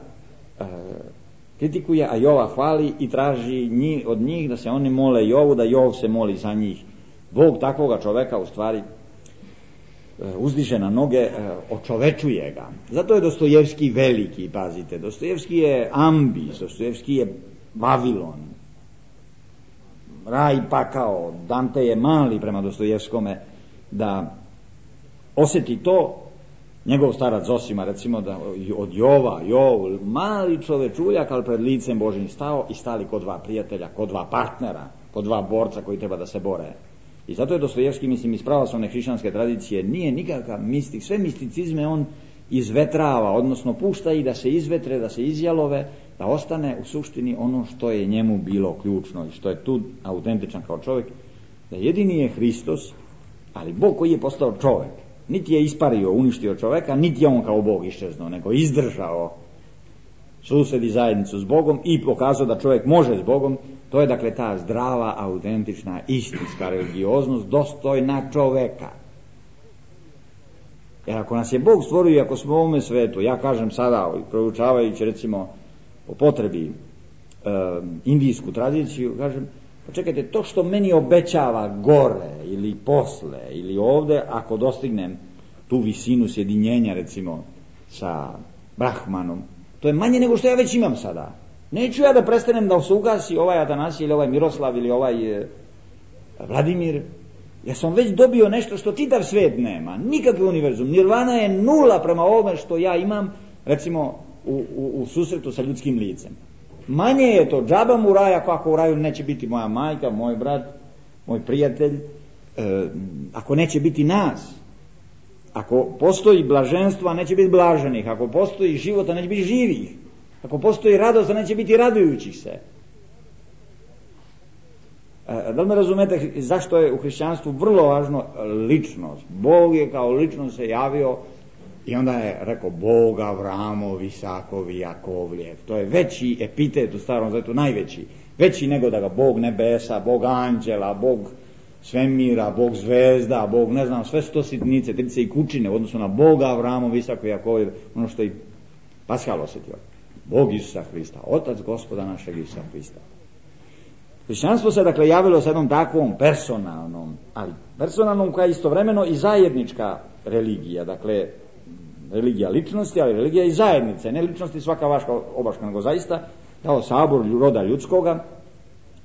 kritikuje, a Jova hvali i traži od njih da se oni mole Jovu, da Jov se moli za njih. Bog takvoga čoveka u stvari uzdiže na noge, očovečuje ga. Zato je Dostojevski veliki, pazite. Dostojevski je Ambis, Dostojevski je Vavilon, raj pakao. Dante je mali prema Dostojevskome da osjeti to. Njegov starac Zosima recimo da od Jov, mali čovečuljak, ali pred licem Božim stao i stali kod dva prijatelja, kod dva partnera, kod dva borca koji treba da se bore. I zato je Dostojevski, mislim, iz pravoslavne hrišćanske tradicije nije nikakav mistik, sve misticizme on izvetrava, odnosno pušta i da se izvetre, da se izjalove, da ostane u suštini ono što je njemu bilo ključno i što je tu autentičan kao čovjek, da jedini je Hristos, ali Bog koji je postao čovjek. Niti je ispario, uništio čovjeka, niti je on kao Bog iščeznuo, nego izdržao sused i zajednicu s Bogom i pokazao da čovjek može s Bogom. To je dakle ta zdrava, autentična, istinska religioznost dostojna čoveka. Jer ako nas je Bog stvorio i ako smo u ovome svetu, ja kažem sada, proučavajući recimo po potrebi indijsku tradiciju, kažem, pa čekajte, to što meni obećava gore ili posle ili ovde, ako dostignem tu visinu sjedinjenja recimo sa Brahmanom, to je manje nego što ja već imam sada. Neću ja da prestanem da se ugasi ovaj Atanasije ili ovaj Miroslav ili ovaj Vladimir. Ja sam već dobio nešto što čitav svijet nema, nikakvi univerzum. Nirvana je nula prema ovome što ja imam recimo u susretu sa ljudskim licem. Manje je to, džaba mu raj ako u raju neće biti moja majka, moj brat, moj prijatelj, ako neće biti nas. Ako postoji blaženstvo, a neće biti blaženih. Ako postoji život, a neće biti živih. Ako postoji radost, a neće biti radujućih se. Da li me razumete zašto je u hrišćanstvu vrlo važno ličnost? Bog je kao ličnost se javio i onda je rekao Bog Avramov, Isakov i Jakovljev. To je veći epitet u Starom Zavetu, najveći. Veći nego da ga Bog nebesa, Bog anđela, Bog svemira, Bog zvezda, Bog ne znam, sve su to sitnice, trice i kućine u odnosu na Boga Avramov, Isakov i Jakovljev, ono što i Paschal osjetio. Bog Isusa Hrista, Otac Gospoda našeg Isusa Hrista. Hrišćanstvo se dakle javilo sa jednom takvom personalnom, ali personalnom koja je istovremeno i zajednička religija, dakle religija ličnosti, ali religija i zajednice, ne ličnosti svaka vaška obaška, nego zaista kao sabor roda ljudskoga,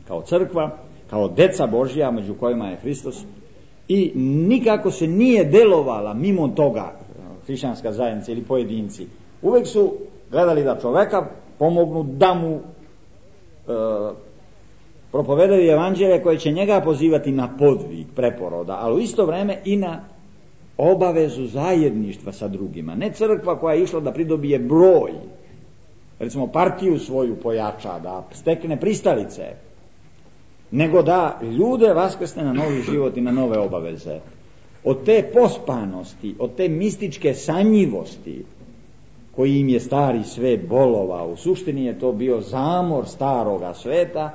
kao crkva, kao deca Božja među kojima je Hristos, i nikako se nije delovala mimo toga hrišćanska zajednica ili pojedinci. Uvek su gledali da čoveka pomognu, da mu propovedaju evanđelje koje će njega pozivati na podvig, preporoda, ali u isto vreme i na obavezu zajedništva sa drugima. Ne crkva koja je išla da pridobije broj, recimo partiju svoju pojača, da stekne pristalice, nego da ljude vaskrsne na novi život i na nove obaveze. Od te pospanosti, od te mističke sanjivosti koji im je stari svet bolovao, u suštini je to bio zamor staroga sveta,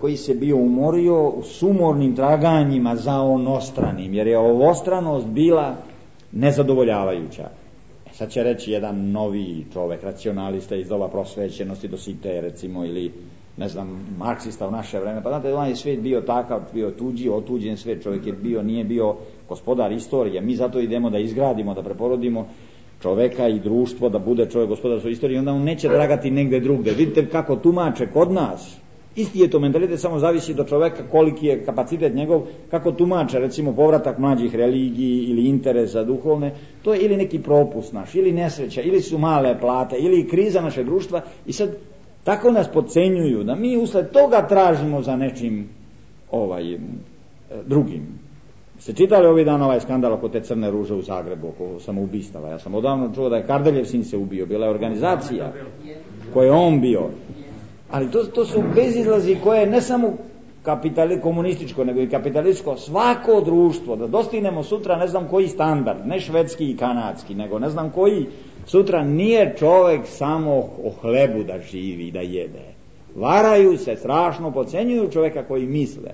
koji se bio umorio u sumornim traganjima za onostranim, jer je ovostranost bila nezadovoljavajuća. Sad će reći jedan novi čovek, racionalista iz doba prosvećenosti, Dosite recimo, ili ne znam, marksista u naše vreme, pa znate, on je svijet bio takav, bio tuđi, otuđen svijet, čovjek je bio, nije bio gospodar istorije, mi zato idemo da izgradimo, da preporodimo čoveka i društvo, da bude čovjek gospodar svoje istorije, onda on neće dragati negde drugde. Vidite kako tumače kod nas, isti je to mentalitet, samo zavisi do čoveka koliki je kapacitet njegov, kako tumače recimo povratak mlađih religiji ili interesa duhovne, to je ili neki propust naš, ili nesreća, ili su male plate, ili kriza naše društva, i sad tako nas podcenjuju da mi usled toga tražimo za nečim drugim. Ste čitali ovih dana ovaj skandal oko te crne ruže u Zagrebu, oko samoubistava? Ja sam odavno čuo da je Kardeljev sin se ubio, bila je organizacija koja je on bio. Ali to su bezizlazi koje ne samo komunističko, nego i kapitalističko, svako društvo, da dostignemo sutra ne znam koji standard, ne švedski i kanadski, nego ne znam koji, sutra nije čovjek samo o hlebu da živi, da jede. Varaju se, strašno podcenjuju čovjeka koji misle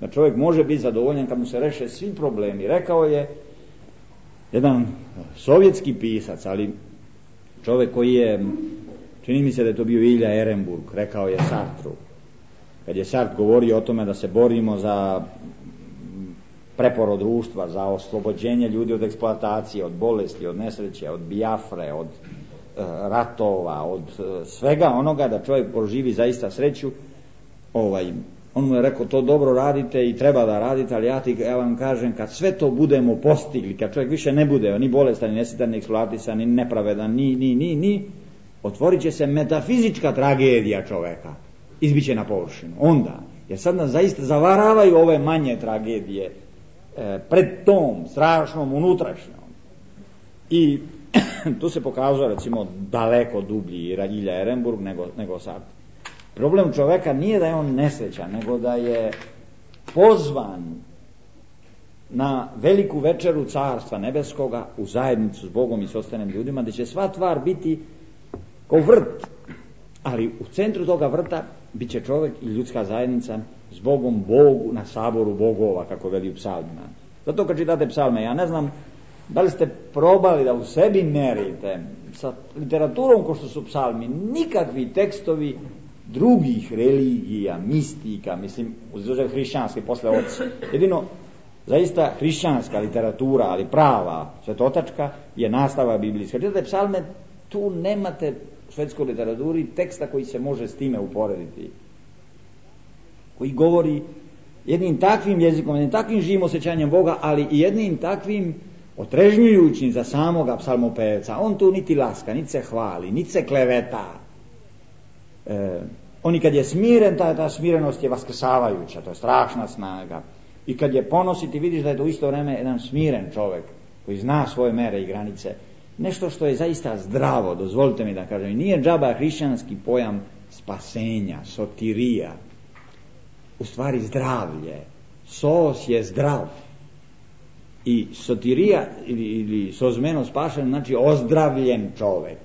da čovjek može biti zadovoljan kad mu se reše svi problemi. Rekao je jedan sovjetski pisac, ali čovjek koji je, čini mi se da je to bio Ilja Ehrenburg, rekao je Sartru, kad je Sartre govorio o tome da se borimo za preporod društva, za oslobođenje ljudi od eksploatacije, od bolesti, od nesreće, od Biafre, od ratova, od svega onoga, da čovjek proživi zaista sreću. On mu je rekao, to dobro radite i treba da radite, ali ja vam kažem, kad sve to budemo postigli, kad čovjek više ne bude ni bolestan, ni nesretan, ni eksploatisan, ni nepravedan, ni otvorit će se metafizička tragedija čoveka, izbiće na površinu. Onda, jer sad nas zaista zavaravaju ove manje tragedije pred tom strašnom unutrašnjom. I tu se pokazuje recimo daleko dublji Ilja Ehrenburg nego Sartre. Problem čoveka nije da je on nesrećan, nego da je pozvan na veliku večeru Carstva nebeskoga u zajednicu s Bogom i s ostalim ljudima, gdje će sva tvar biti kao vrt, ali u centru toga vrta bit će čovjek i ljudska zajednica s Bogom, Bogu na saboru bogova, kako veli u psalmima. Zato kad čitate psalme, ja ne znam da li ste probali da u sebi merite sa literaturom ko što su psalmi, nikakvi tekstovi drugih religija, mistika, mislim, uzuzev hrišćanske posle oca. Jedino zaista hrišćanska literatura, ali prava, svetotačka, je nastava biblijska. Čitate psalme, tu nemate u svetskoj literaturi teksta koji se može s time uporediti, koji govori jednim takvim jezikom, jednim takvim živim osjećanjem Boga, ali i jednim takvim otrežnjujućim za samoga psalmopevca. On tu niti laska, niti se hvali, niti se kleveta. On i kad je smiren, ta smirenost je vaskrsavajuća, to je strašna snaga. I kad je ponositi, vidiš da je to u isto vreme jedan smiren čovjek koji zna svoje mere i granice. Nešto što je zaista zdravo, dozvolite mi da kažem. I nije džaba hrišćanski pojam spasenja, sotirija. U stvari zdravlje. Sos je zdrav. I sotirija ili sozmeno spašen znači ozdravljen čovjek.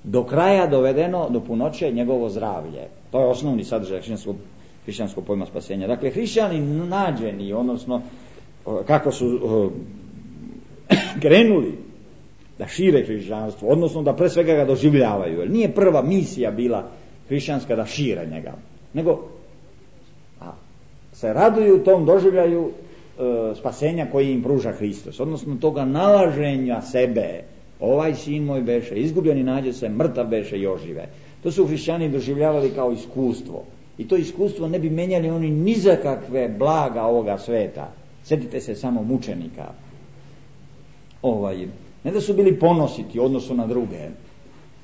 Do kraja dovedeno do punoće njegovo zdravlje. To je osnovni sadržaj hrišćanskog pojma spasenja. Dakle, hrišćani nađeni, odnosno kako su krenuli da šire hrišćanstvo, odnosno da pre svega ga doživljavaju. Jer nije prva misija bila hrišćanska da šire njega, nego se raduju tom doživljaju spasenja koji im pruža Hristos, odnosno toga nalaženja sebe. Ovaj sin moj beše izgubljeni, nađe se, mrtav beše i ožive. To su hrišćani doživljavali kao iskustvo. I to iskustvo ne bi menjali oni ni za kakve blaga ovoga sveta. Sjetite se samo mučenika. Ne da su bili ponositi u odnosu na druge.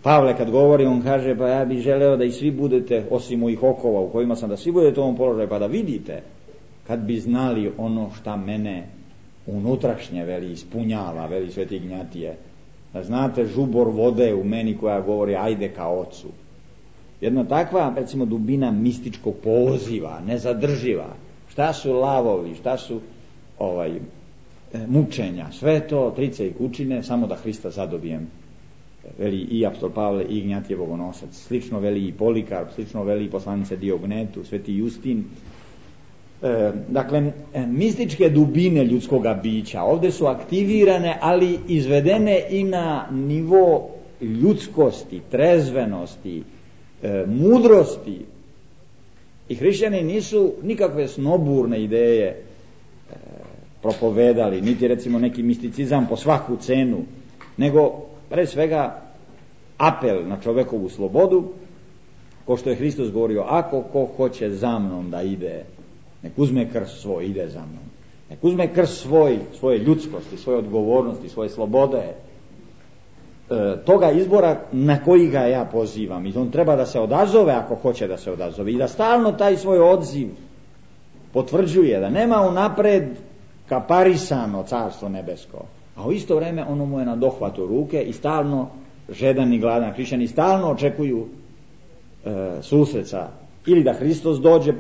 Pavle kad govori, on kaže, pa ja bih želeo da i svi budete, osim mojih okova u kojima sam, da svi budete u ovom položaju, pa da vidite, kad bi znali ono šta mene unutrašnje, veli, ispunjava, veli Sveti Ignjatije, da znate žubor vode u meni koja govori ajde ka ocu. Jedna takva, recimo, dubina mističkog poziva, nezadrživa. Šta su lavovi, šta su mučenja, sve to trice i kučine, samo da Hrista zadobijem. Veli i apostol Pavle i Ignjatije Bogonosac. Slično veli i Polikarp, slično veli i poslanica Diognetu, Sveti Justin. Dakle, mističke dubine ljudskoga bića ovdje su aktivirane, ali izvedene i na nivo ljudskosti, trezvenosti, mudrosti. I hrišćani nisu nikakve snoburne ideje propovedali, niti recimo neki misticizam po svaku cenu, nego pre svega apel na čovekovu slobodu, ko što je Hristos govorio, ako ko hoće za mnom da ide, nek uzme krst svoj, ide za mnom. Nek uzme krst svoje ljudskosti, svoje odgovornosti, svoje slobode, toga izbora na koji ga ja pozivam. I on treba da se odazove ako hoće da se odazove. I da stalno taj svoj odziv potvrđuje, da nema unapred kaparisano carstvo nebesko. A u isto vrijeme ono mu je na dohvatu ruke i stalno žedan i gladan hrišćani stalno očekuju susreca. Ili da Hristos dođe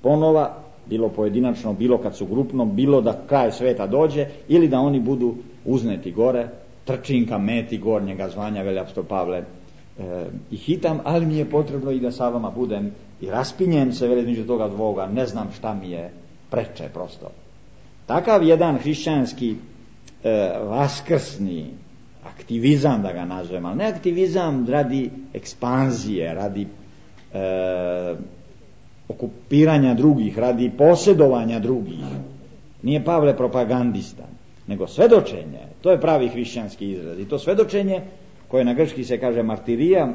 ponova, bilo pojedinačno, bilo kad su grupno, bilo da kraj sveta dođe, ili da oni budu uzneti gore, trčinka meti gornjega zvanja, veli apostol Pavle, i hitam, ali mi je potrebno i da sa vama budem i raspinjem se, veli, između toga dvoga, ne znam šta mi je preče prosto. Takav jedan hrišćanski vaskrsni aktivizam, da ga nazovem, ali ne aktivizam radi ekspanzije, radi okupiranja drugih, radi posjedovanja drugih. Nije Pavle propagandista, nego svedočenje. To je pravi hrišćanski izraz. I to svedočenje, koje na grčki se kaže martirija,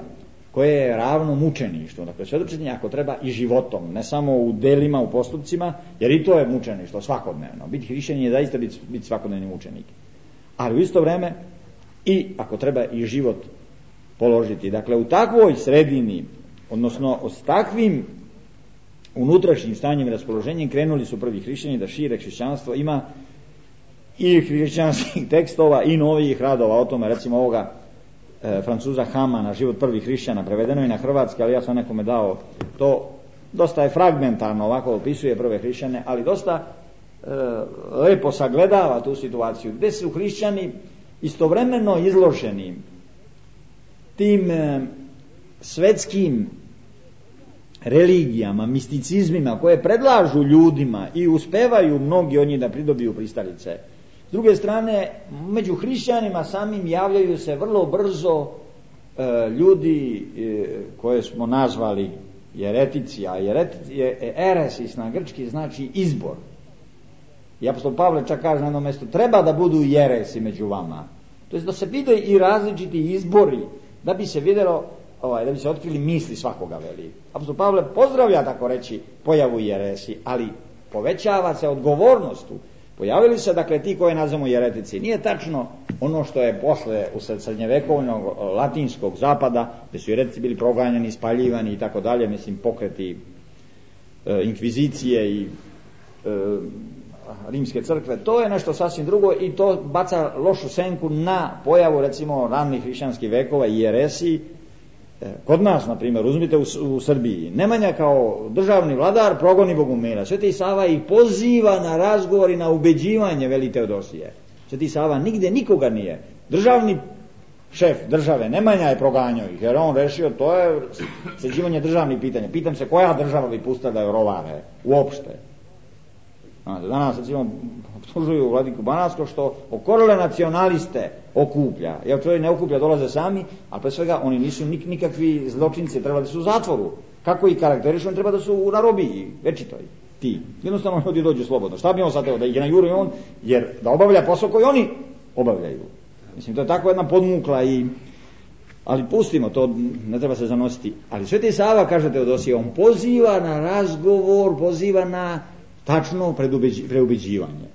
koje je ravno mučeništvu. Dakle, svedočenje ako treba i životom, ne samo u delima, u postupcima, jer i to je mučeništvo svakodnevno. Biti hrišćanin je zaista biti svakodnevni mučenik. Ali u isto vrijeme i ako treba i život položiti. Dakle, u takvoj sredini, odnosno s takvim unutrašnjim stanjem i raspoloženjem krenuli su prvi hrišćani da šire hrišćanstvo. Ima i hrišćanskih tekstova i novih radova o tome, recimo ovoga Francuza Hamana, Život prvih hrišćana, prevedeno i na hrvatski, ali ja sam nekome dao to, dosta je fragmentarno, ovako opisuje prve hrišćane, ali dosta lepo sagledava tu situaciju, gdje su hrišćani istovremeno izloženi tim svetskim religijama, misticizmima koje predlažu ljudima i uspevaju mnogi od njih da pridobiju pristalice. S druge strane, među hrišćanima samim javljaju se vrlo brzo ljudi koje smo nazvali jeretici, a eresis na grčki znači izbor. I apostol Pavle čak kaže na jednom mjestu, treba da budu jeresi među vama. To je da se vide i različiti izbori, da bi se vidjelo, da bi se otkrili misli svakoga, veli. Apostol Pavle pozdravlja, tako reći, pojavu jeresi, ali povećava se odgovornost tu. Pojavili se, dakle, ti koje nazvamo jeretici. Nije tačno ono što je posle usred srednjevekovnog latinskog zapada, gdje su jeretici bili proganjani, spaljivani i tako dalje, mislim, pokreti inkvizicije i rimske crkve. To je nešto sasvim drugo i to baca lošu senku na pojavu, recimo, ranih hrišćanskih vekova i jeresiji. Kod nas, na primjer, uzmite u Srbiji, Nemanja kao državni vladar progoni bogumila. Sveti Sava ih poziva na razgovor i na ubeđivanje, veli Teodosije. Sveti Sava nigdje nikoga nije. Državni šef države Nemanja je proganjao ih, jer on rešio, to je sređivanje državnih pitanja. Pitam se koja država bi pustila da je rovare uopšte. Danas, recimo, optužuju vladiku Banatskog što okorele nacionaliste okuplja. Jer čovjek ne okuplja, dolaze sami, ali pre svega oni nisu nikakvi zločinci, treba da su u zatvoru. Kako ih karakterišu, oni treba da su u narobiji, večitoj. ti. Jednostavno ljudi dođu slobodno. Šta bi on sad teo, da ih najuri on, jer da obavlja posao koji oni obavljaju. Mislim, to je tako jedna podmukla ali pustimo, to ne treba se zanositi. Ali Sveti Sava, kaže Teodosije, on poziva na razgovor, poziva na tačno preubeđivanje.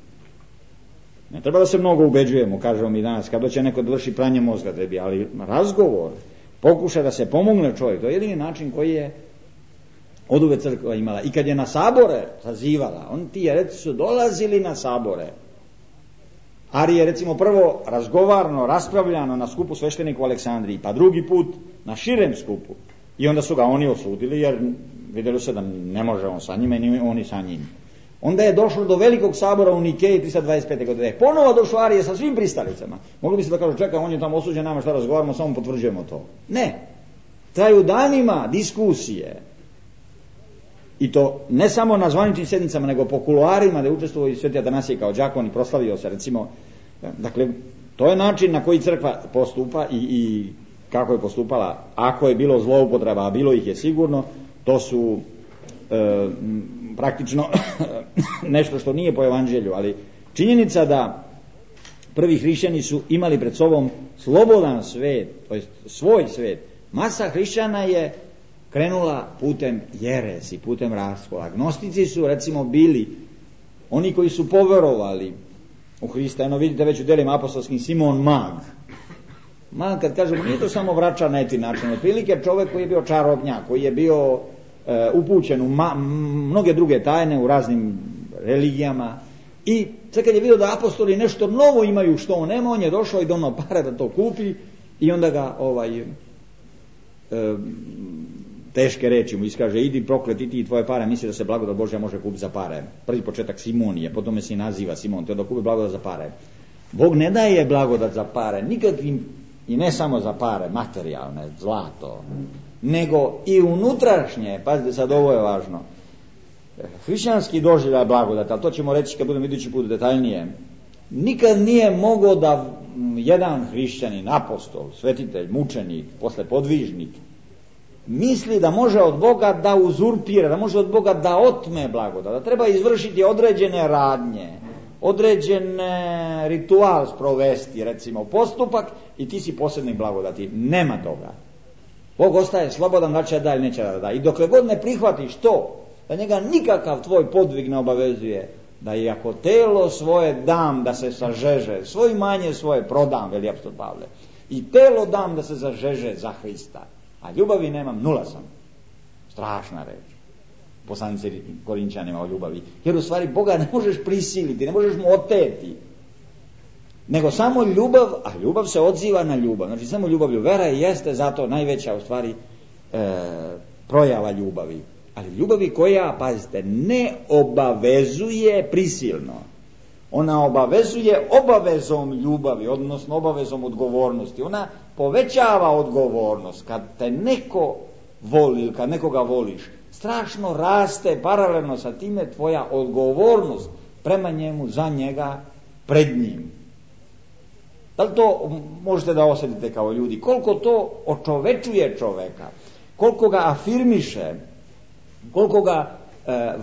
Ne treba da se mnogo ubeđujemo, kažemo mi danas, kad će neko da vrši pranje mozga tebi, ali razgovor, pokuša da se pomogne čovjek, to je jedini način koji je oduvek crkva imala. I kad je na sabore sazivala, oni ti jereci su dolazili na sabore. Ari je recimo prvo razgovarno, raspravljano na skupu sveštenika u Aleksandriji, pa drugi put na širem skupu. I onda su ga oni osudili, jer vidjeli se da ne može on sa njima i ni oni sa njim. Onda je došlo do velikog sabora u Nikeji 325. godine. Ponovo došlo Arije sa svim pristalicama. Mogli bi se da kažu, čekaj, on je tamo osuđen, nama šta razgovaramo, samo potvrđujemo to. Ne. Traju danima diskusije. I to ne samo na zvaničnim sjednicama, nego po kuloarima, da je učestvovao i Sveti Atanasije kao đakon i proslavio se, recimo. Dakle, to je način na koji crkva postupa i kako je postupala. Ako je bilo zloupotreba, a bilo ih je sigurno, to su praktično nešto što nije po evanđelju, ali činjenica da prvi hrišćani su imali pred sobom slobodan svet, to jest svoj svet. Masa hrišćana je krenula putem jeresi, putem raskola. Gnostici su recimo bili oni koji su poverovali u Hrista. Eno vidite već u delima apostolskim Simon Mag. Mag, kad kažemo, nije to samo vračar na eti način, otprilike čovjek koji je bio čarobnjak, koji je bio upućen u mnoge druge tajne u raznim religijama, i sad kad je vidio da apostoli nešto novo imaju što on nema, on je došao i donao pare da to kupi, i onda ga teške reči mu iskaže, idi prokleti ti i tvoje pare, misli da se blagodat Božja može kupiti za pare. Prvi početak Simonije, potom se i naziva Simon, te da kupi blagodat za pare. Bog ne daje blagodat za pare nikakvim, i ne samo za pare materijalne, zlato, nego i unutrašnje. Pazite sad, ovo je važno. Hrišćanski doživljaj blagodat, ali to ćemo reći kad budemo idući put detaljnije. Nikad nije mogao da jedan hrišćanin, apostol, svetitelj, mučenik, posle podvižnik, misli da može od Boga da uzurpira, da može od Boga da otme blagodat, da treba izvršiti određene radnje, određen ritual sprovesti, recimo postupak, i ti si posebnik blagodati. Nema toga. Bog ostaje slobodan da će da ili neće da da. I dokle god ne prihvatiš to, da njega nikakav tvoj podvig ne obavezuje, da i ako telo svoje dam da se sažeže, svoje imanje svoje prodam, veli apostol Pavle, i telo dam da se zažeže za Hrista, a ljubavi nemam, nula sam. Strašna reč. Poslanice Korinčanima o ljubavi. Jer u stvari Boga ne možeš prisiliti, ne možeš mu oteti. Nego samo ljubav, a ljubav se odziva na ljubav. Znači samo ljubavlju. Vera jeste zato najveća u stvari projava ljubavi. Ali ljubavi koja, pazite, ne obavezuje prisilno. Ona obavezuje obavezom ljubavi, odnosno obavezom odgovornosti. Ona povećava odgovornost. Kad te neko voli ili kad nekoga voliš, strašno raste paralelno sa time tvoja odgovornost prema njemu, za njega, pred njim. Da li to možete da osjetite kao ljudi? Koliko to očovečuje čoveka, koliko ga afirmiše, koliko ga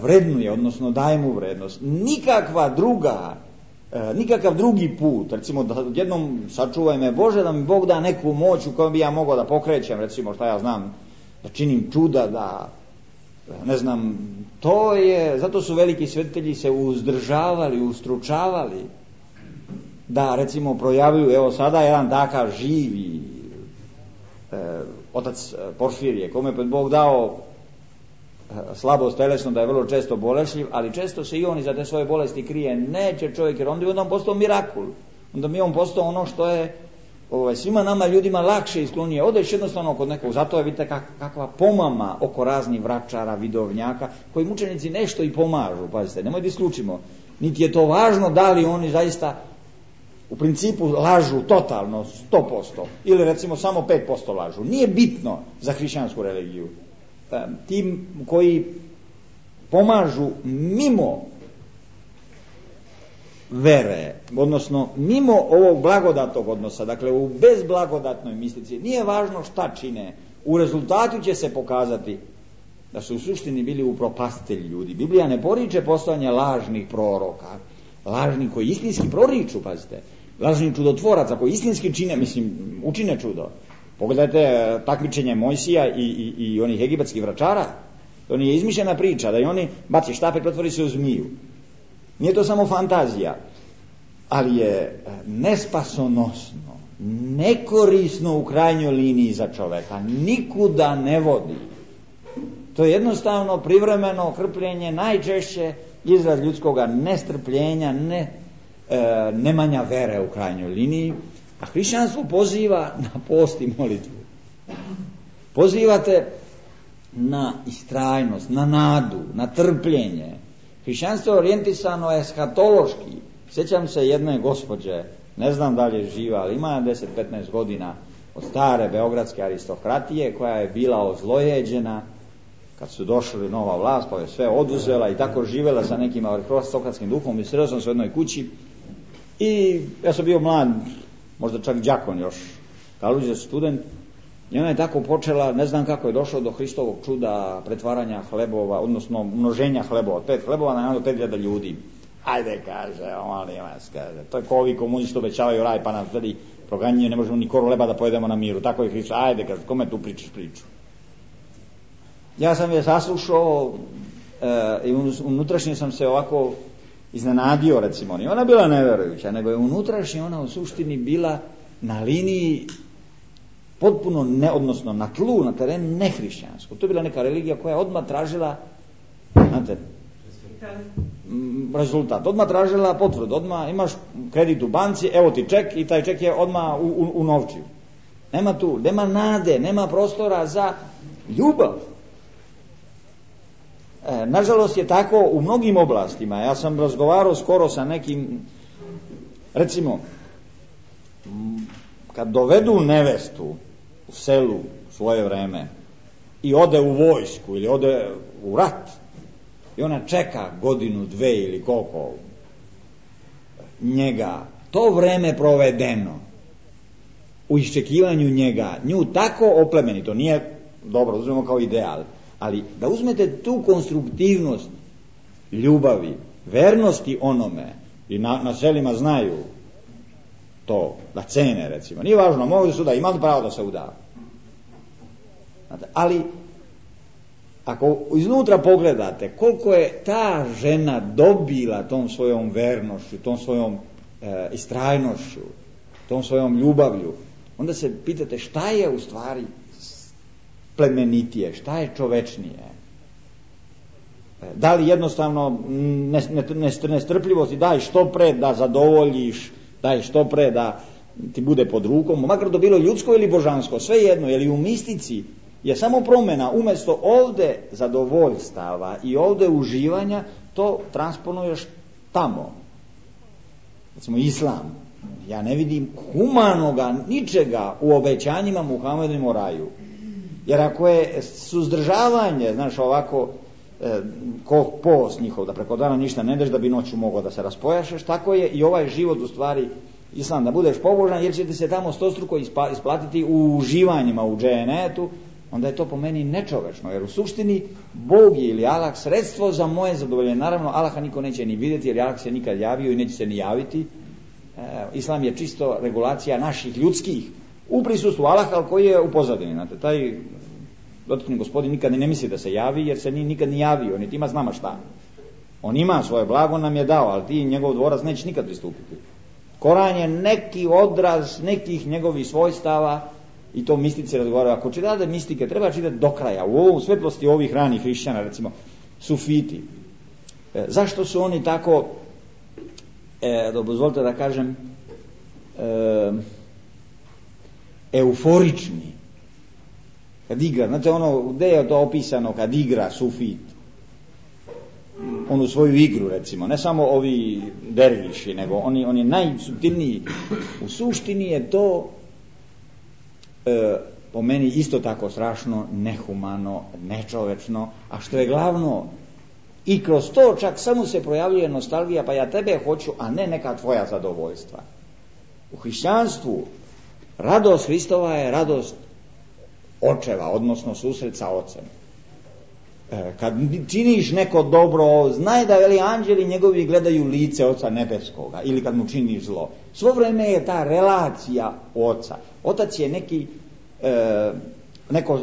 vrednuje, odnosno daje mu vrednost. Nikakav drugi put, recimo da jednom sačuvaj me Bože, da mi Bog da neku moć u kojoj bi ja mogao da pokrećem, recimo šta ja znam, da činim čuda, da ne znam, to je, zato su veliki svetitelji se uzdržavali, ustručavali da recimo projavljuju, evo sada jedan takav živi otac Porfirije, kome je Bog dao slabost telesno, da je vrlo često bolešljiv, ali često se i on iza te svoje bolesti krije. Neće čovjek, jer onda bi on postao mirakul. Onda bi on postao ono što je svima nama ljudima lakše isklonije. Odeš jednostavno kod nekog, zato je vidite kakva pomama oko raznih vračara, vidovnjaka, koji mučenici nešto i pomažu, pazite, nemoj da isključimo. Niti je to važno da li oni zaista u principu lažu totalno 100% ili recimo samo 5% lažu. Nije bitno za hrišćansku religiju. Tim koji pomažu mimo vere, odnosno mimo ovog blagodatnog odnosa, dakle u bezblagodatnoj mistici, nije važno šta čine, u rezultatu će se pokazati da su u suštini bili upropastitelji ljudi. Biblija ne poriče postojanje lažnih proroka, lažnih koji istinski proriču, pazite, lažnih čudotvoraca koji istinski učine čudo. Pogledajte takmičenje Mojsija i onih egipatskih vračara. To nije izmišljena priča, da i oni baci štap i pretvori se u zmiju. Nije to samo fantazija, ali je nespasonosno, nekorisno u krajnjoj liniji za čoveka, nikuda ne vodi. To je jednostavno privremeno krpljenje, najčešće izraz ljudskoga nestrpljenja, nemanja vere u krajnjoj liniji, a hrišćanstvo poziva na post i molitvu. Pozivate na istrajnost, na nadu, na trpljenje. Hrišćanstvo je orijentisano eskatološki. Sjećam se jedne gospođe, ne znam da li je živa, ali ima 10-15 godina, od stare beogradske aristokratije, koja je bila ozlojeđena kad su došli nova vlast, pa je sve oduzela i tako živjela sa nekim aristokratskim duhom. I sreo sam se u jednoj kući i ja sam bio mlad, možda čak đakon još, kaluđe student, i ona je tako počela, ne znam kako je došlo do Hristovog čuda pretvaranja hlebova, odnosno množenja hlebova, od 5 hlebova na 5.000 ljudi. Ajde, kaže, molim vas, kaže, to je ko ovi komunisti obećavaju raj, pa nam tvrdi proganjaju, ne možemo ni koru leba da pojedemo na miru, tako je Hristos, ajde, kaže, kome tu pričaš priču? Ja sam je saslušao i unutrašnje sam se ovako iznenadio, recimo, i ona bila neverujuća, nego je unutrašnje ona u suštini bila na liniji potpuno odnosno na tlu, na terenu nehrišćansko. To je bila neka religija koja je odmah tražila, znate, rezultat, odmah tražila potvrdu, odmah imaš kredit u banci, evo ti ček i taj ček je odmah u novčiju. Nema tu, nema nade, nema prostora za ljubav. Nažalost je tako u mnogim oblastima. Ja sam razgovarao skoro sa nekim, recimo, kad dovedu nevestu u selu u svoje vreme i ode u vojsku ili ode u rat i ona čeka godinu, dve ili koliko njega, to vreme provedeno u iščekivanju njega, nju tako oplemeni, to nije dobro, uzmemo kao ideal, ali da uzmete tu konstruktivnost ljubavi, vernosti onome, i na selima znaju to, da cene, recimo, nije važno, mogu su da imali pravo da se uda. Ali ako iznutra pogledate koliko je ta žena dobila tom svojom vernošću, tom svojom istrajnošću, tom svojom ljubavlju, onda se pitate šta je u stvari plemenitije, šta je čovečnije. Da li jednostavno nestrpljivost i daj što pre da zadovoljiš, daj što pre da ti bude pod rukom, makar to bilo ljudsko ili božansko, sve jedno, jer i u mistici je samo promjena, umjesto ovdje zadovoljstava i ovdje uživanja, to transponuješ tamo. Recimo islam, ja ne vidim humanoga ničega u obećanjima Muhammedovim o raju. Jer ako je suzdržavanje, znaš, ovako ko post njihov, da preko dana ništa ne deš da bi noću mogao da se raspojašeš, tako je i ovaj život u stvari islam, da budeš pobožan, jer će ti se tamo stostruko isplatiti u uživanjima u dženetu, onda je to po meni nečovečno, jer u suštini Bog je ili Allah sredstvo za moje zadovoljenje. Naravno, Allaha niko neće ni vidjeti, jer Allah se nikad javio i neće se ni javiti. Islam je čisto regulacija naših ljudskih u prisustvu Allaha, ali koji je u pozadini. Znate, taj dotakni gospodin nikad ne misli da se javi, jer se nikad ni javio, niti ima s nama šta. On ima svoje blago, nam je dao, ali ti njegov dvorac neće nikad pristupiti. Koran je neki odraz nekih njegovih svojstava, i to mistici razgovaraju. Ako čitate mistike, treba čitati do kraja. U ovom svetlosti ovih ranih hrišćana, recimo sufiti. Zašto su oni tako, dozvolite da kažem, euforični? Kad igra, znate ono, gde je to opisano kad igra sufit? Onu svoju igru, recimo, ne samo ovi derviši, nego oni najsuptilniji. U suštini je to po meni isto tako strašno, nehumano, nečovečno, a što je glavno, i kroz to čak samo se projavljuje nostalgija, pa ja tebe hoću, a ne neka tvoja zadovoljstva. U hrišćanstvu radost Hristova je radost očeva, odnosno susret sa ocem. kad činiš neko dobro, znaj da veli anđeli njegovi gledaju lice Oca nebeskoga, ili kad mu činiš zlo. Svo vreme je ta relacija Oca. Otac je neko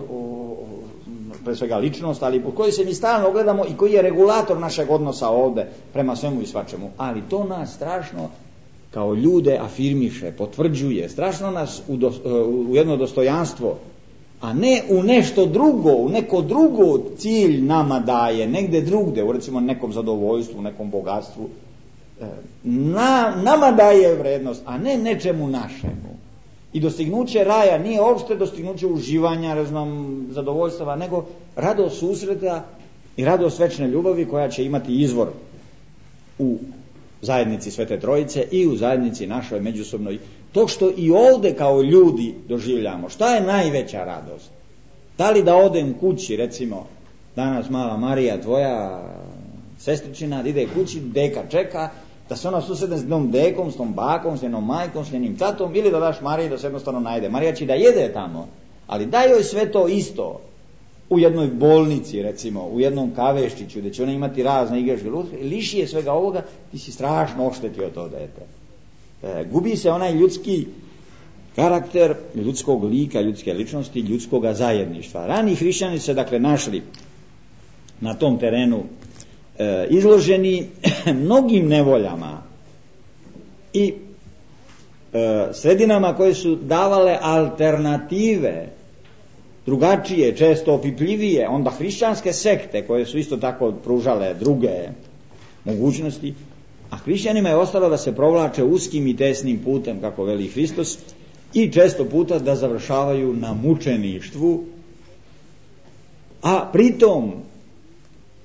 pre svega ličnost, ali u kojoj se mi stalno gledamo i koji je regulator našeg odnosa ovde prema svemu i svačemu. Ali to nas strašno kao ljude afirmiše, potvrđuje, strašno nas u jedno dostojanstvo, a ne u nešto drugo, u neko drugo cilj nama daje, negde drugde, u recimo nekom zadovoljstvu, nekom bogatstvu, nama daje vrednost, a ne nečemu našemu. I dostignuće raja nije uopšte dostignuće uživanja, zadovoljstava, nego radost susreta i radost večne ljubavi koja će imati izvor u zajednici Svete Trojice i u zajednici našoj međusobnoj. To što i ovde kao ljudi doživljamo, šta je najveća radost? Da li da odem kući, recimo, danas mala Marija, tvoja sestričina, ide kući, deka čeka, da se ona susretne s jednom dekom, s tom bakom, s jednom majkom, s njenim tatom, ili da daš Mariji da se jednostavno najde. Marija će da jede tamo, ali daj joj sve to isto u jednoj bolnici, recimo, u jednom kaveščiću, gdje će ona imati razne igračke, liši je svega ovoga, ti si strašno oštetio to dete. Gubi se onaj ljudski karakter, ljudskog lika, ljudske ličnosti, ljudskoga zajedništva. Rani hrišćani se dakle našli na tom terenu izloženi mnogim nevoljama i sredinama koje su davale alternative, drugačije, često opipljivije, onda hrišćanske sekte koje su isto tako pružale druge mogućnosti, a hrišćanima je ostalo da se provlače uskim i tesnim putem, kako veli Hristos, i često puta da završavaju na mučeništvu, a pritom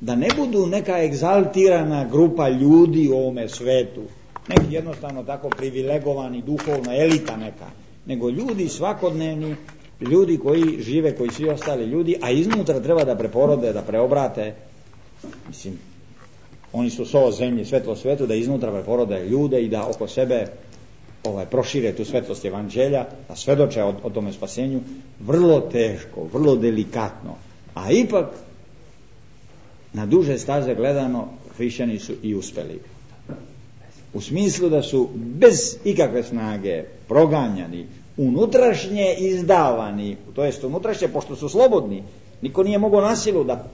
da ne budu neka egzaltirana grupa ljudi u ovome svetu, neki jednostavno tako privilegovani, duhovna elita neka, nego ljudi svakodnevni, ljudi koji žive, koji svi ostali ljudi, a iznutra treba da preporode, da preobrate, mislim, oni su so zemlje, svetlo svetu, da iznutra preporode ljude i da oko sebe prošire tu svetlost evanđelja, da svedoče o tome spasenju, vrlo teško, vrlo delikatno, a ipak na duže staze gledano hrišćani su i uspeli. U smislu da su bez ikakve snage proganjani, unutrašnje izdavani, to jest unutrašnje, pošto su slobodni, niko nije mogao na silu da...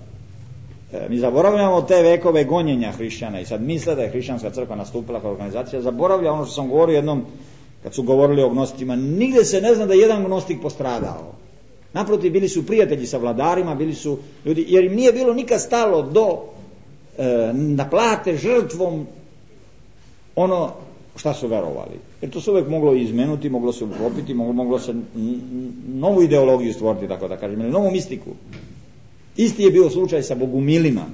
Mi zaboravljamo te vekove gonjenja hrišćana i sad misle da je hrišćanska crkva nastupila kao organizacija, zaboravlja ono što sam govorio jednom kad su govorili o gnosticima, nigde se ne zna da je jedan gnostik postradao. Naprotiv, bili su prijatelji sa vladarima, bili su ljudi, jer im nije bilo nikad stalo do da plate žrtvom ono šta su verovali. Jer to se uvijek moglo izmenuti, moglo se ukropiti, moglo se novu ideologiju stvoriti, tako da kažem, ili novu mistiku. Isti je bio slučaj sa bogumilima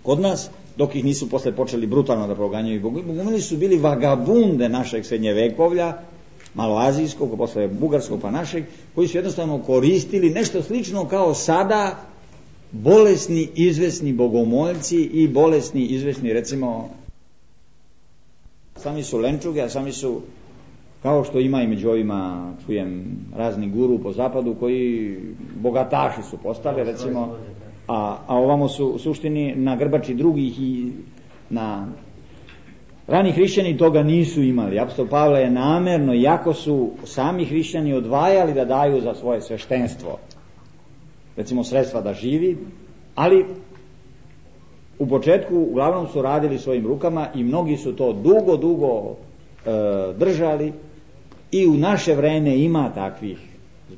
kod nas, dok ih nisu posle počeli brutalno da proganjaju. Bogumili su bili vagabunde našeg srednjevekovlja, maloazijskog, posle bugarskog pa našeg, koji su jednostavno koristili nešto slično kao sada bolesni, izvesni bogomoljci i bolesni, izvesni, recimo, sami su lenčuge, a sami su, kao što ima i među ovima, čujem, razni guru po zapadu koji bogataši su postali, recimo, a ovamo su u suštini na grbači drugih i na... Rani hrišćani toga nisu imali. Apostol Pavle je namerno, iako su sami hrišćani odvajali da daju za svoje sveštenstvo, recimo sredstva da živi, ali u početku uglavnom su radili svojim rukama i mnogi su to dugo držali i u naše vreme ima takvih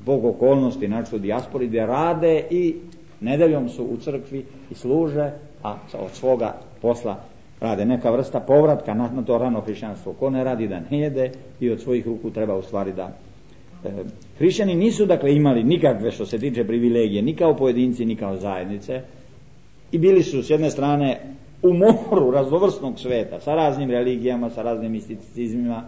zbog okolnosti, znači u dijaspori, gdje rade i nedeljom su u crkvi i služe, a od svoga posla rade, neka vrsta povratka na to rano hrišćanstvo. Ko ne radi da ne jede i od svojih ruku treba u stvari da... Hrišćani nisu dakle imali nikakve što se tiče privilegije, ni kao pojedinci, ni kao zajednice, i bili su s jedne strane u moru raznovrsnog sveta, sa raznim religijama, sa raznim misticizmima,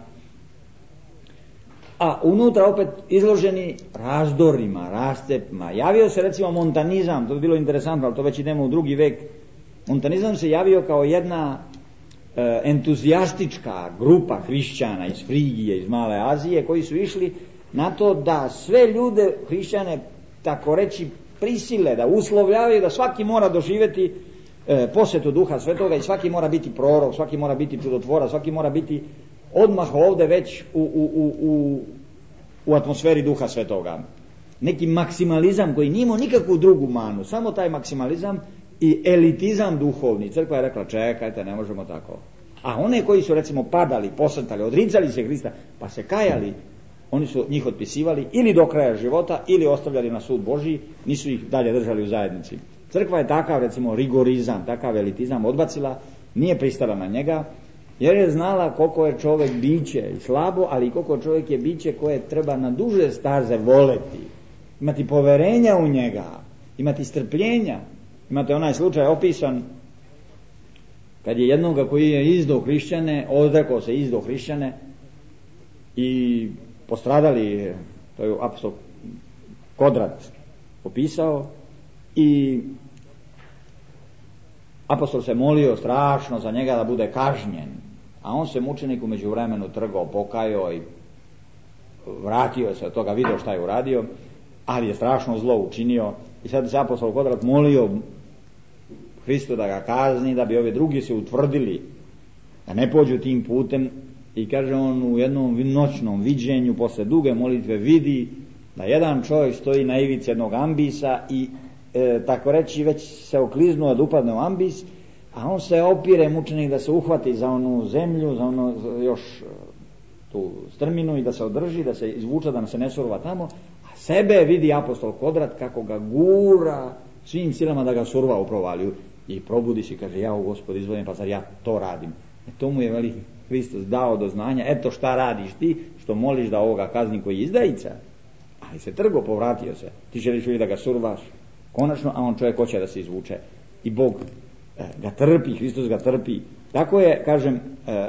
a unutra opet izloženi razdorima, rascepima. Javio se recimo montanizam, to bi bilo interesantno, ali to već idemo u drugi vek. Montanizam se javio kao jedna entuzijastička grupa hrišćana iz Frigije, iz Male Azije, koji su išli na to da sve ljude hrišćane, tako reći, prisile, da uslovljavaju da svaki mora doživjeti posjetu Duha Svetoga i svaki mora biti prorok, svaki mora biti čudotvora, svaki mora biti odmah ovdje već u atmosferi Duha Svetoga. Neki maksimalizam koji nije imao nikakvu drugu manu, samo taj maksimalizam i elitizam duhovni. Crkva je rekla čekajte, ne možemo tako. A one koji su recimo padali, posrtali, odricali se Hrista pa se kajali, oni su njih otpisivali ili do kraja života ili ostavljali na sud Božji, nisu ih dalje držali u zajednici. Crkva je takav recimo rigorizam, takav elitizam odbacila, nije pristala na njega jer je znala koliko je čovjek biće i slabo, ali i koliko čovjek je biće koje treba na duže staze voleti, imati poverenja u njega, imati strpljenja. Imate onaj slučaj opisan kad je jednoga koji je izdao hrišćane, odrekao se izdao hrišćane i postradali, to je apostol Kodrat opisao, i apostol se molio strašno za njega da bude kažnjen, a on se mučenik u međuvremenu trgao, pokajao i vratio se od toga, vidio šta je uradio, ali je strašno zlo učinio i sad se apostol Kodrat molio Hristu da ga kazni, da bi ovi drugi se utvrdili da ne pođu tim putem, i kaže on u jednom noćnom viđenju posle duge molitve vidi da jedan čovjek stoji na ivici jednog ambisa i tako reći već se okliznuo da upadne u ambis, a on se opire mučenik da se uhvati za onu zemlju, za ono još tu strminu i da se održi, da se izvuče, da se ne surva tamo, a sebe vidi apostol Kodrat kako ga gura svim silama da ga surva u provaliju i probudi se i kaže ja u Gospod izvolim, pa zar ja to radim. To mu je veliki Hristos dao do znanja, eto šta radiš ti što moliš da ovoga kazni koji je izdajica, ali se trgo, povratio se, ti želiš uvijek da ga survaš konačno, a on čovjek hoće da se izvuče i Bog ga trpi, Hristos ga trpi. Tako je, kažem,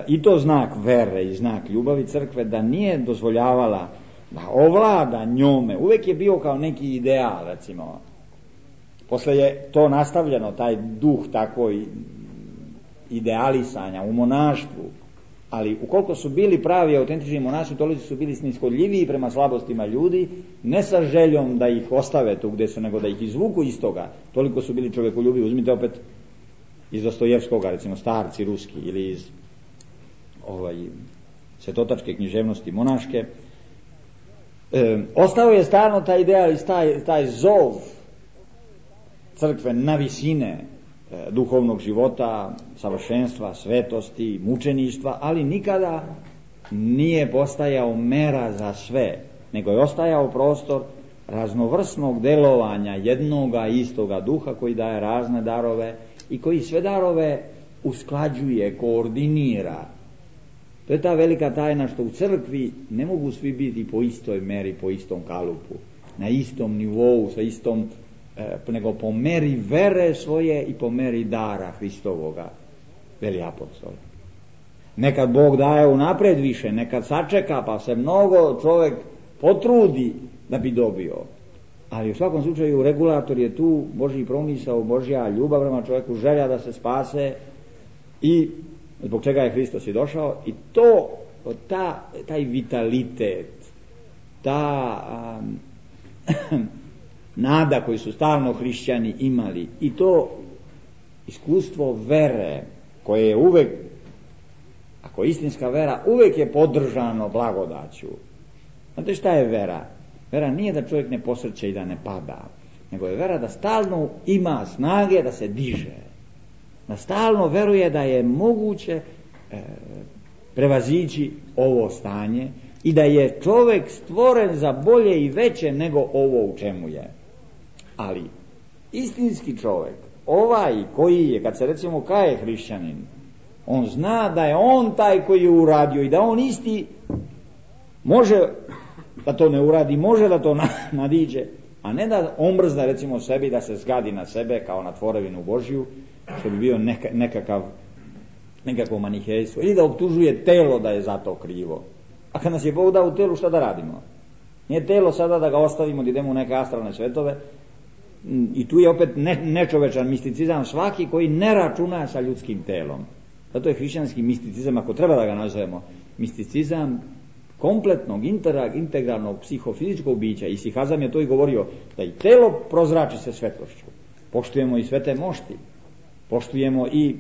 i to znak vere i znak ljubavi crkve, da nije dozvoljavala da ovlada njome, uvijek je bio kao neki ideal, recimo. Posle je to nastavljeno, taj duh takvoj idealisanja u monaštvu, ali ukoliko su bili pravi autentični monasi, toliko su bili snishodljiviji prema slabostima ljudi, ne sa željom da ih ostave tu gdje su, nego da ih izvuku iz toga, toliko su bili čovjekoljubivi. Uzmite opet iz Dostojevskoga, recimo Starci ruski, ili iz svetotačke književnosti monaške. Ostao je stalno taj ideal i taj zov crkve na visine duhovnog života, savršenstva, svetosti, mučeništva, ali nikada nije postajao mera za sve, nego je ostajao prostor raznovrsnog delovanja jednoga istoga duha koji daje razne darove i koji sve darove usklađuje, koordinira. To je ta velika tajna što u crkvi ne mogu svi biti po istoj meri, po istom kalupu, na istom nivou, sa istom, nego po meri vere svoje i po meri dara Hristovoga, veli apostol. Nekad Bog daje unaprijed više, nekad sačeka pa se mnogo čovjek potrudi da bi dobio, ali u svakom slučaju regulator je tu Božji promisao, Božja ljubav prema čovjeku, želja da se spase, i zbog čega je Hristos i došao. I to, taj vitalitet, ta nada koju su stalno hrišćani imali, i to iskustvo vere koje je uvek, ako je istinska vera, uvek je podržano blagodaću. Znate šta je vera? Vera nije da čovjek ne posrće i da ne pada, nego je vera da stalno ima snage da se diže, da stalno veruje da je moguće prevazići ovo stanje i da je čovjek stvoren za bolje i veće nego ovo u čemu je. Ali istinski čovjek, ovaj koji je, kad se recimo kaje hrišćanin, on zna da je on taj koji je uradio i da on isti može da to ne uradi, može da to nadiđe, a ne da omrzne recimo sebi, da se zgadi na sebe kao na tvorevinu Božju, što bi bio nekakvo manihejstvo, ili da optužuje telo da je za to krivo. A kad nas je Bog dao u telu, šta da radimo? Nije telo sada da ga ostavimo, da idemo u neke astralne svetove, i tu je opet nečovečan misticizam svaki koji ne računa sa ljudskim telom. Zato je hrišćanski misticizam, ako treba da ga nazovemo misticizam, kompletnog, integralnog psihofizičkog bića. I Sihazam je to i govorio, da i telo prozrači se svetlošću. Poštujemo i svete mošti, poštujemo i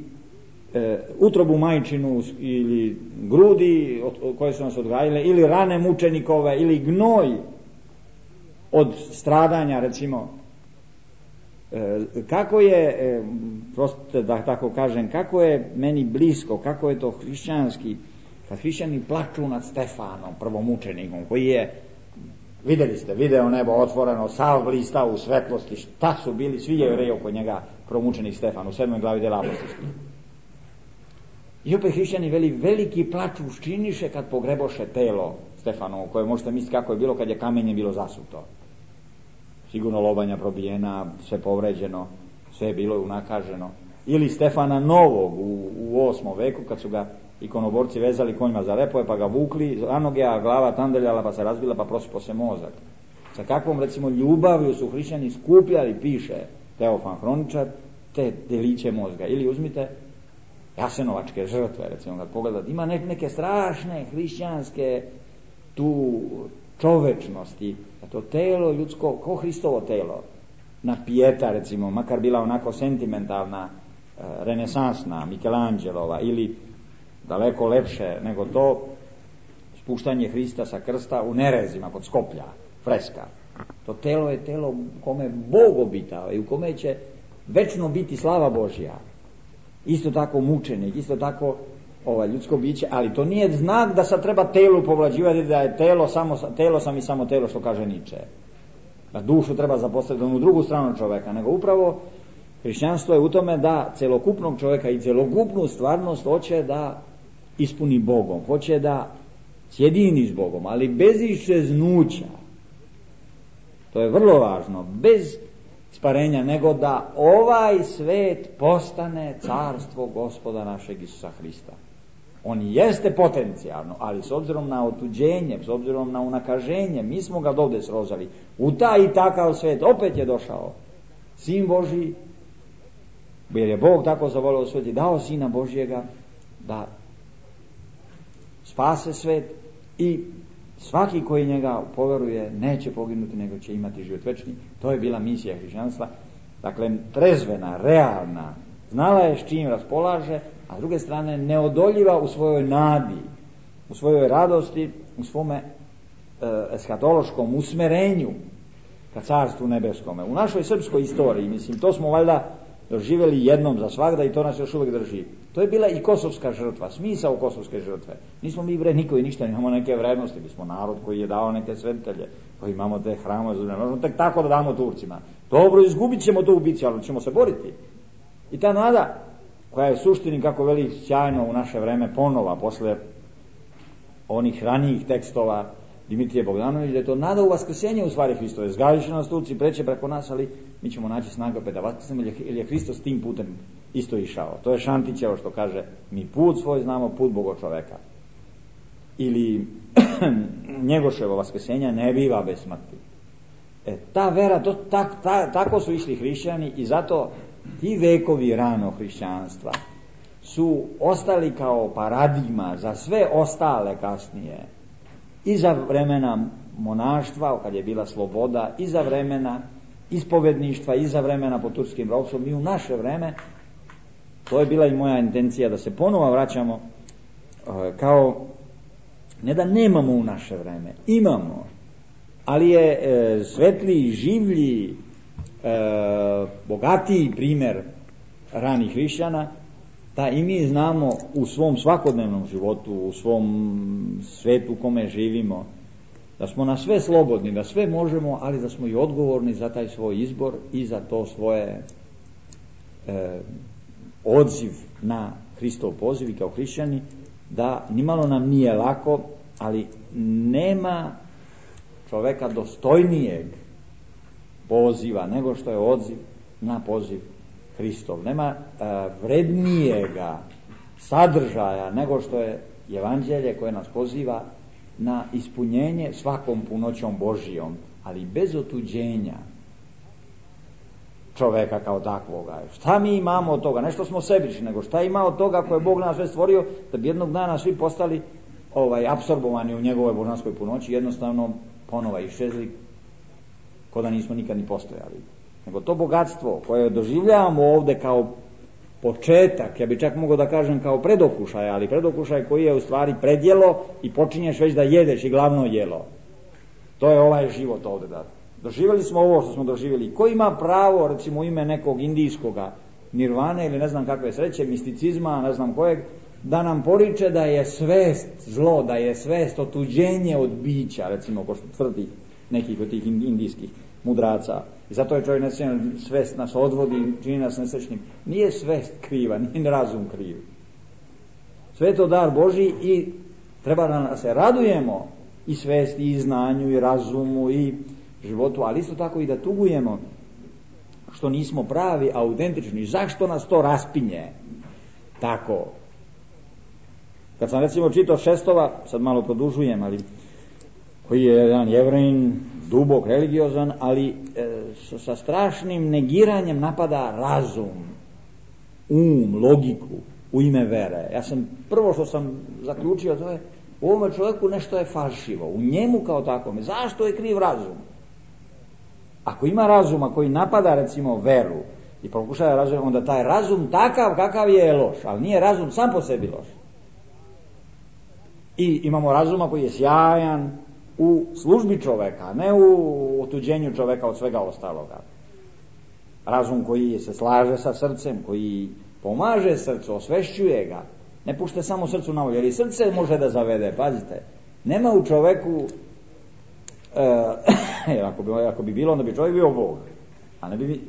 utrobu majčinu ili grudi koje su nas odgajile, ili rane mučenikove, ili gnoj od stradanja, recimo. Kako je, prostite da tako kažem, kako je meni blisko, kako je to hrišćanski, kad hrišćani plaču nad Stefanom, prvomučenikom, koji je, vidjeli ste, video nebo otvoreno, sav blistao u svetlosti, šta su bili svi Jevreji oko njega, prvomučenik Stefan, u 7. glavi dela apostolskih. I opet hrišćani veliki plač učiniše kad pogreboše telo Stefanovo, koje možete misliti kako je bilo kad je kamenje bilo zasuto. Sigurno lobanja probijena, sve povređeno, sve je bilo unakaženo. Ili Stefana Novog u 8. veku kad su ga ikonoborci vezali konjima za repove pa ga vukli za noge, a glava tandeljala pa se razbila pa prosipo se mozak. Sa kakvom recimo ljubavlju su hrišćani skupljali, piše Teofan Hroničar, te deliće mozga. Ili uzmite jasenovačke žrtve, recimo kad pogledate, ima neke strašne hrišćanske tu čovečnosti, a to telo ljudsko, ko Hristovo telo, na pijeta recimo, makar bila onako sentimentalna, renesansna, Michelangelo ili daleko lepše nego to, spuštanje Hrista sa krsta u Nerezima kod Skoplja, freska. To telo je telo u kome Bog obitao i u kome će večno biti slava Božja. Isto tako mučenik, isto tako ljudsko biće, ali to nije znak da sad treba telu povlađivati, da je telo sam i samo telo, što kaže Niče. Da dušu treba zapostaviti u drugu stranu čovjeka, nego upravo hrišćanstvo je u tome da celokupnog čovjeka i celokupnu stvarnost hoće da ispuni Bogom, hoće da sjedini s Bogom, ali bez iščeznuća. To je vrlo važno, bez sparenja, nego da ovaj svet postane carstvo Gospoda našeg Isusa Hrista. On jeste potencijalno, ali s obzirom na otuđenje, s obzirom na unakaženje, mi smo ga dovde srozali. U taj i takav svet opet je došao Sin Božji, jer je Bog tako zavolio svet i dao Sina Božjega da spase svet i svaki koji njega poveruje neće poginuti, nego će imati život večni. To je bila misija hrišćanstva. Dakle, trezvena, realna, znala je s čim raspolaže, a s druge strane neodoljiva u svojoj nadi, u svojoj radosti, u svome eskatološkom usmerenju ka carstvu nebeskome. U našoj srpskoj istoriji, mislim, to smo valjda doživjeli jednom za svagda i to nas još uvijek drži. To je bila i kosovska žrtva, smisao kosovske žrtve. Nismo mi niko i ništa, imamo neke vrednosti, mi smo narod koji je dao neke svetitelje, koji imamo te hramove, ne možemo tek tako da damo Turcima. Dobro, izgubit ćemo to u bici, ali ćemo se boriti. I ta nada, koja je suštini, kako veli sjajno u naše vreme ponova, posle onih ranijih tekstova Dimitrije Bogdanović, da je to nada u vaskrsenje u stvari Hristove. Zgaviše nas Turci, preće preko nas, ali mi ćemo naći snaga opet da vaskrsnemo, jer je Hristos tim putem isto išao. To je Šantićevo što kaže, mi put svoj znamo, put Bogo čoveka. Ili Njegoševo vaskrsenja ne biva bez smrti. Ta vera, tako su išli hrišćani i zato ti vekovi rano hrišćanstva su ostali kao paradigma za sve ostale kasnije. I za vremena monaštva, kad je bila sloboda, i za vremena ispovedništva, i za vremena pod turskim ropstvom, i u naše vreme. To je bila i moja intencija da se ponovo vraćamo kao, ne da nemamo u naše vreme, imamo, ali je svetliji, življi, bogatiji primjer ranih hrišćana, da i mi znamo u svom svakodnevnom životu, u svom svetu u kome živimo, da smo na sve slobodni, da sve možemo, ali da smo i odgovorni za taj svoj izbor i za to svoje odziv na Hristov poziv i kao hrišćani, da nimalo nam nije lako, ali nema čoveka dostojnijeg poziva nego što je odziv na poziv Hristov. Nema vrednijega sadržaja nego što je evanđelje koje nas poziva na ispunjenje svakom punoćom Božijom, ali bez otuđenja čoveka kao takvoga. Šta mi imamo od toga? Nešto smo sebični, nego šta ima od toga koje je Bog nas sve stvorio, da bi jednog dana svi postali apsorbovani u njegovoj božanskoj punoći, jednostavno ponova iščezli, ko da nismo nikad ni postojali. Nego to bogatstvo koje doživljavamo ovdje kao početak, ja bih čak mogao da kažem kao predokušaj, ali predokušaj koji je u stvari predjelo i počinješ već da jedeš i glavno jelo. To je ovaj život ovdje. Da. Doživjeli smo ovo što smo doživjeli. Ko ima pravo, recimo u ime nekog indijskoga nirvane ili ne znam kakve sreće, misticizma, ne znam kojeg, da nam poriče da je svest zlo, da je svest otuđenje od bića, recimo ko što tvrdi nekih od tih indijskih mudraca. I zato je čovjek nesrećan, svest nas odvodi, čini nas nesrećnim. Nije svest kriva, nije razum kriv. Sve je to dar Božji i treba da se radujemo i svesti, i znanju, i razumu, i životu, ali isto tako i da tugujemo što nismo pravi, autentični. Zašto nas to raspinje? Tako. Kad sam recimo čitao Šestova, sad malo produžujem, ali koji je jedan Jevrejin, dubok, religiozan, ali sa strašnim negiranjem napada razum, logiku u ime vere. Ja sam, prvo što sam zaključio, to je u ovome čovjeku nešto je falšivo, u njemu kao takvome. Zašto je kriv razum? Ako ima razuma koji napada recimo veru i pokušava razum, onda taj razum takav kakav je loš, ali nije razum sam po sebi loš. I imamo razuma koji je sjajan u službi čovjeka, ne u otuđenju čovjeka od svega ostaloga. Razum koji se slaže sa srcem, koji pomaže srcu, osvešćuje ga, ne pušte samo srcu na volju, jer i srce može da zavede, pazite. Nema u čovjeku, ako bi bilo, onda bi čovjek bio Bog, a ne bi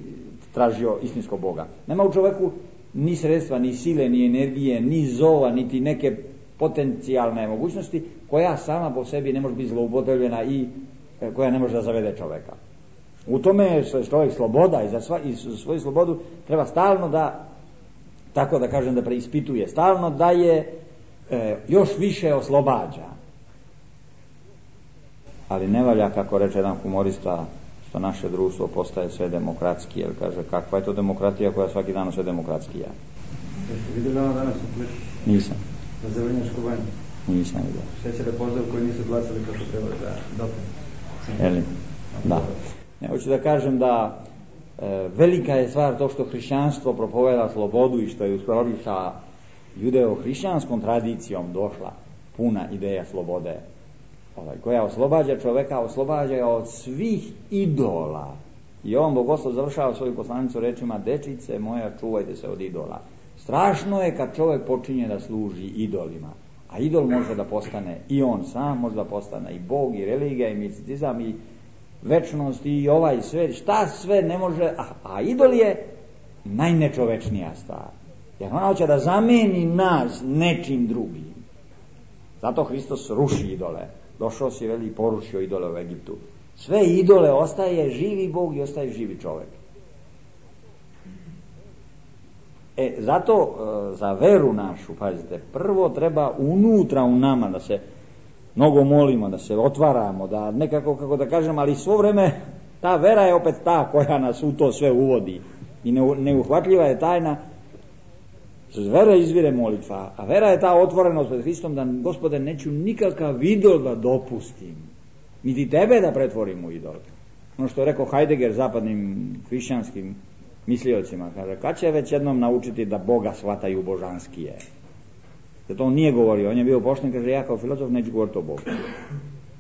tražio istinskog Boga. Nema u čovjeku ni sredstva, ni sile, ni energije, ni zova, niti neke potencijalne mogućnosti koja sama po sebi ne može biti zloupotrebljena i koja ne može da zavede čovjeka. U tome je čovjek sloboda i za svoju slobodu treba stalno da, tako da kažem, da preispituje, stalno da je još više oslobađa. Ali ne valja, kako reče jedan humorista, što naše društvo postaje sve demokratski, jer kaže, kakva je to demokratija koja svaki dan sve demokratskija. Jeste vidjeli danas u Klišu? Nisam. Na Zelenjačku banju? Nisam vidio. Šećere pozdrav koji nisu glasali kako treba za doping. Jeli? Da. Ne, hoću da kažem da velika je stvar to što hrišćanstvo propoveda slobodu i što je u skladu sa judeo-hrišćanskom tradicijom došla puna ideja slobode, koja oslobađa čoveka, oslobađa ga od svih idola. I on Bogoslov završava svoju poslanicu rečima: dečice moja, čuvajte se od idola. Strašno je kad čovjek počinje da služi idolima, a idol može da postane i on sam, može da postane i Bog, i religija, i misticizam, i večnost, i ovaj sve, šta sve ne može, a idol je najnečovečnija stvar, jer ona hoće da zameni nas nečim drugim. Zato Hristos ruši idole. Došao si, veli, i porušio idole u Egiptu. Sve idole ostaje živi Bog i ostaje živi čovjek. Zato za veru našu, pazite, prvo treba unutra u nama da se mnogo molimo, da se otvaramo, da nekako, kako da kažem, ali svo vreme ta vera je opet ta koja nas u to sve uvodi i neuhvatljiva je tajna. Z vere izvire molitva, a vera je ta otvorenost pred Hristom da, Gospode, neću nikakav idol da dopustim, niti tebe da pretvorim u idol. Ono što je rekao Heidegger zapadnim hrišćanskim misliocima, kaže, kad će već jednom naučiti da Boga shvataju božanskije? Zato on nije govorio, on je bio pošten, kaže, ja kao filozof neću govoriti o Bogu.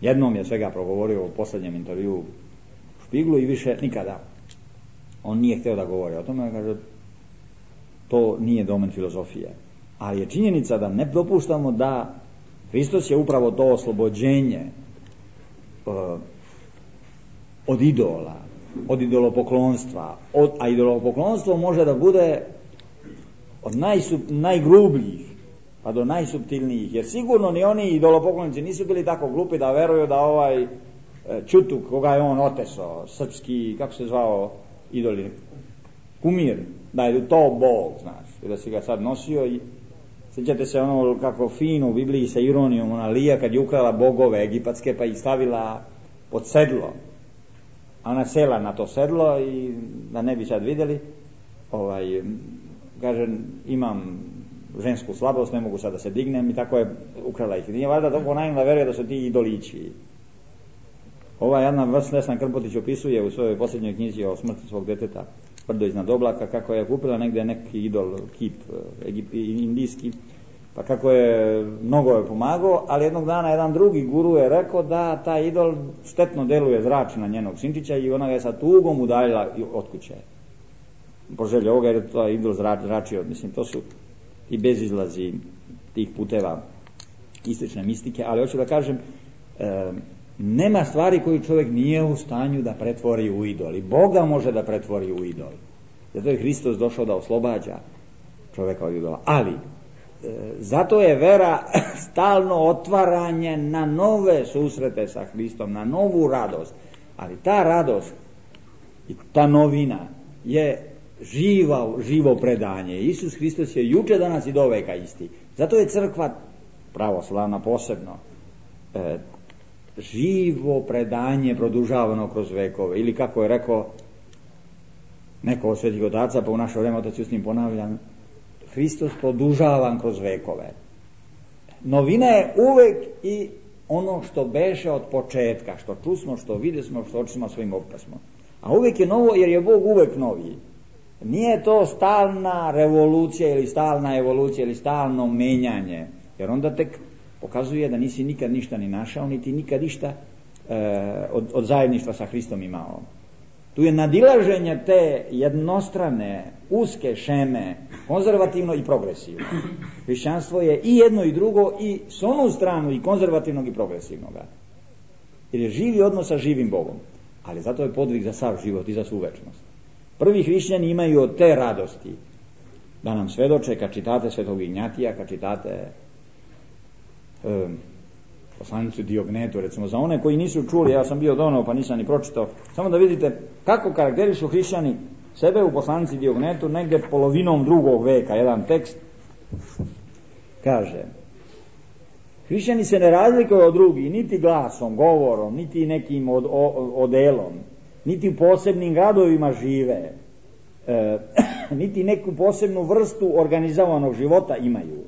Jednom je svega progovorio u posljednjem intervju u Špiglu i više nikada. On nije htio da govori o tome, kaže, to nije domen filozofije. Ali je činjenica da ne dopuštamo da Hristos je upravo to oslobođenje od idola, od idolopoklonstva, a idolopoklonstvo može da bude od najgrubljih pa do najsuptilnijih, jer sigurno ni oni idolopoklonici nisu bili tako glupi da veruju da ovaj Čutuk, koga je on otesao, srpski, kako se zvao idoli, kumir, da je to Bog, znaš, i da si ga sad nosio. I sjećate se ono kako fino u Bibliji sa ironijom ona Lija kad je ukrala bogove egipatske pa ih stavila pod sedlo, a ona sela na to sedlo i da ne bi sad vidjeli, kaže, imam žensku slabost, ne mogu sad da se dignem i tako je ukrala ih. Nije valjda toliko naivna veruje da su ti idolići. Ova jedna Vesna Krmpotić opisuje u svojoj posljednjoj knjizi o smrti svog deteta Brdo iznad oblaka, kako je kupila negdje neki idol, kip indijski, pa kako je mnogo je pomagao, ali jednog dana jedan drugi guru je rekao da taj idol štetno deluje zrači na njenog sinčića i ona ga je sa tugom udaljila od kuće. Po želji ovoga jer je to idol zračio. Mislim, to su i bezizlazi tih puteva istočne mistike, ali hoću da kažem, nema stvari koju čovjek nije u stanju da pretvori u idol. I Boga može da pretvori u idol. Zato je Hristos došao da oslobađa čovjeka od idola. Ali, zato je vera stalno otvaranje na nove susrete sa Hristom, na novu radost. Ali ta radost i ta novina je živo predanje. Isus Hristos je juče, danas i do veka isti. Zato je crkva pravoslavna posebno živo predanje produžavano kroz vekove. Ili kako je rekao neko od svetih otaca, pa u naše vreme otac Justin ponavljam, Hristos produžavan kroz vekove. Novina je uvek i ono što beše od početka, što čusmo, što videsmo, što očima svojim opasmo. A uvek je novo jer je Bog uvek noviji. Nije to stalna revolucija ili stalna evolucija ili stalno menjanje, jer onda tek pokazuje da nisi nikad ništa ni našao, niti nikad ništa od zajedništva sa Hristom imao. Tu je nadilaženje te jednostrane, uske šeme, konzervativno i progresivno. Hrišćanstvo je i jedno i drugo, i s onu stranu i konzervativnog i progresivnoga. Jer je živi odnos sa živim Bogom. Ali zato je podvig za sav život i za svu večnost. Prvi hrišćani imaju od te radosti da nam svedoče, kad čitate Svetog Ignjatija, kad čitate poslanicu Diognetu, recimo, za one koji nisu čuli, ja sam bio donao pa nisam ni pročitao, samo da vidite kako karakterišu hrišćani sebe u poslanici Diognetu, negdje polovinom 2. veka, jedan tekst kaže: hrišćani se ne razlikuju od drugih niti glasom, govorom, niti nekim odelom, niti u posebnim gradovima žive, niti neku posebnu vrstu organizovanog života imaju.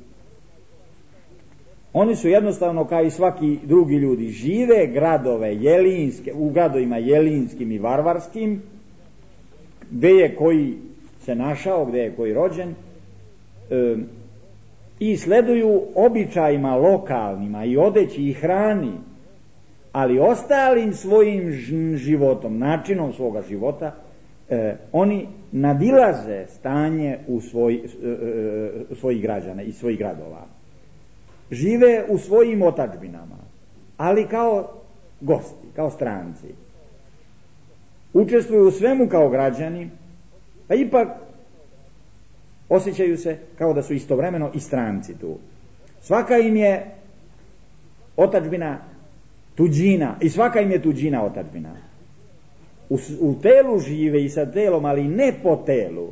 Oni su jednostavno kao i svaki drugi ljudi, žive gradove jelinske, u gradovima jelinskim i varvarskim, gdje je koji se našao, gdje je koji rođen, i sleduju običajima lokalnima i odeći i hrani, ali ostalim svojim životom, načinom svoga života, oni nadilaze stanje u svojih građana i svojih gradova. Žive u svojim otadžbinama, ali kao gosti, kao stranci. Učestvuju u svemu kao građani, a ipak osjećaju se kao da su istovremeno i stranci tu. Svaka im je otadžbina tuđina i svaka im je tuđina otadžbina. U telu žive i sa telom, ali ne po telu.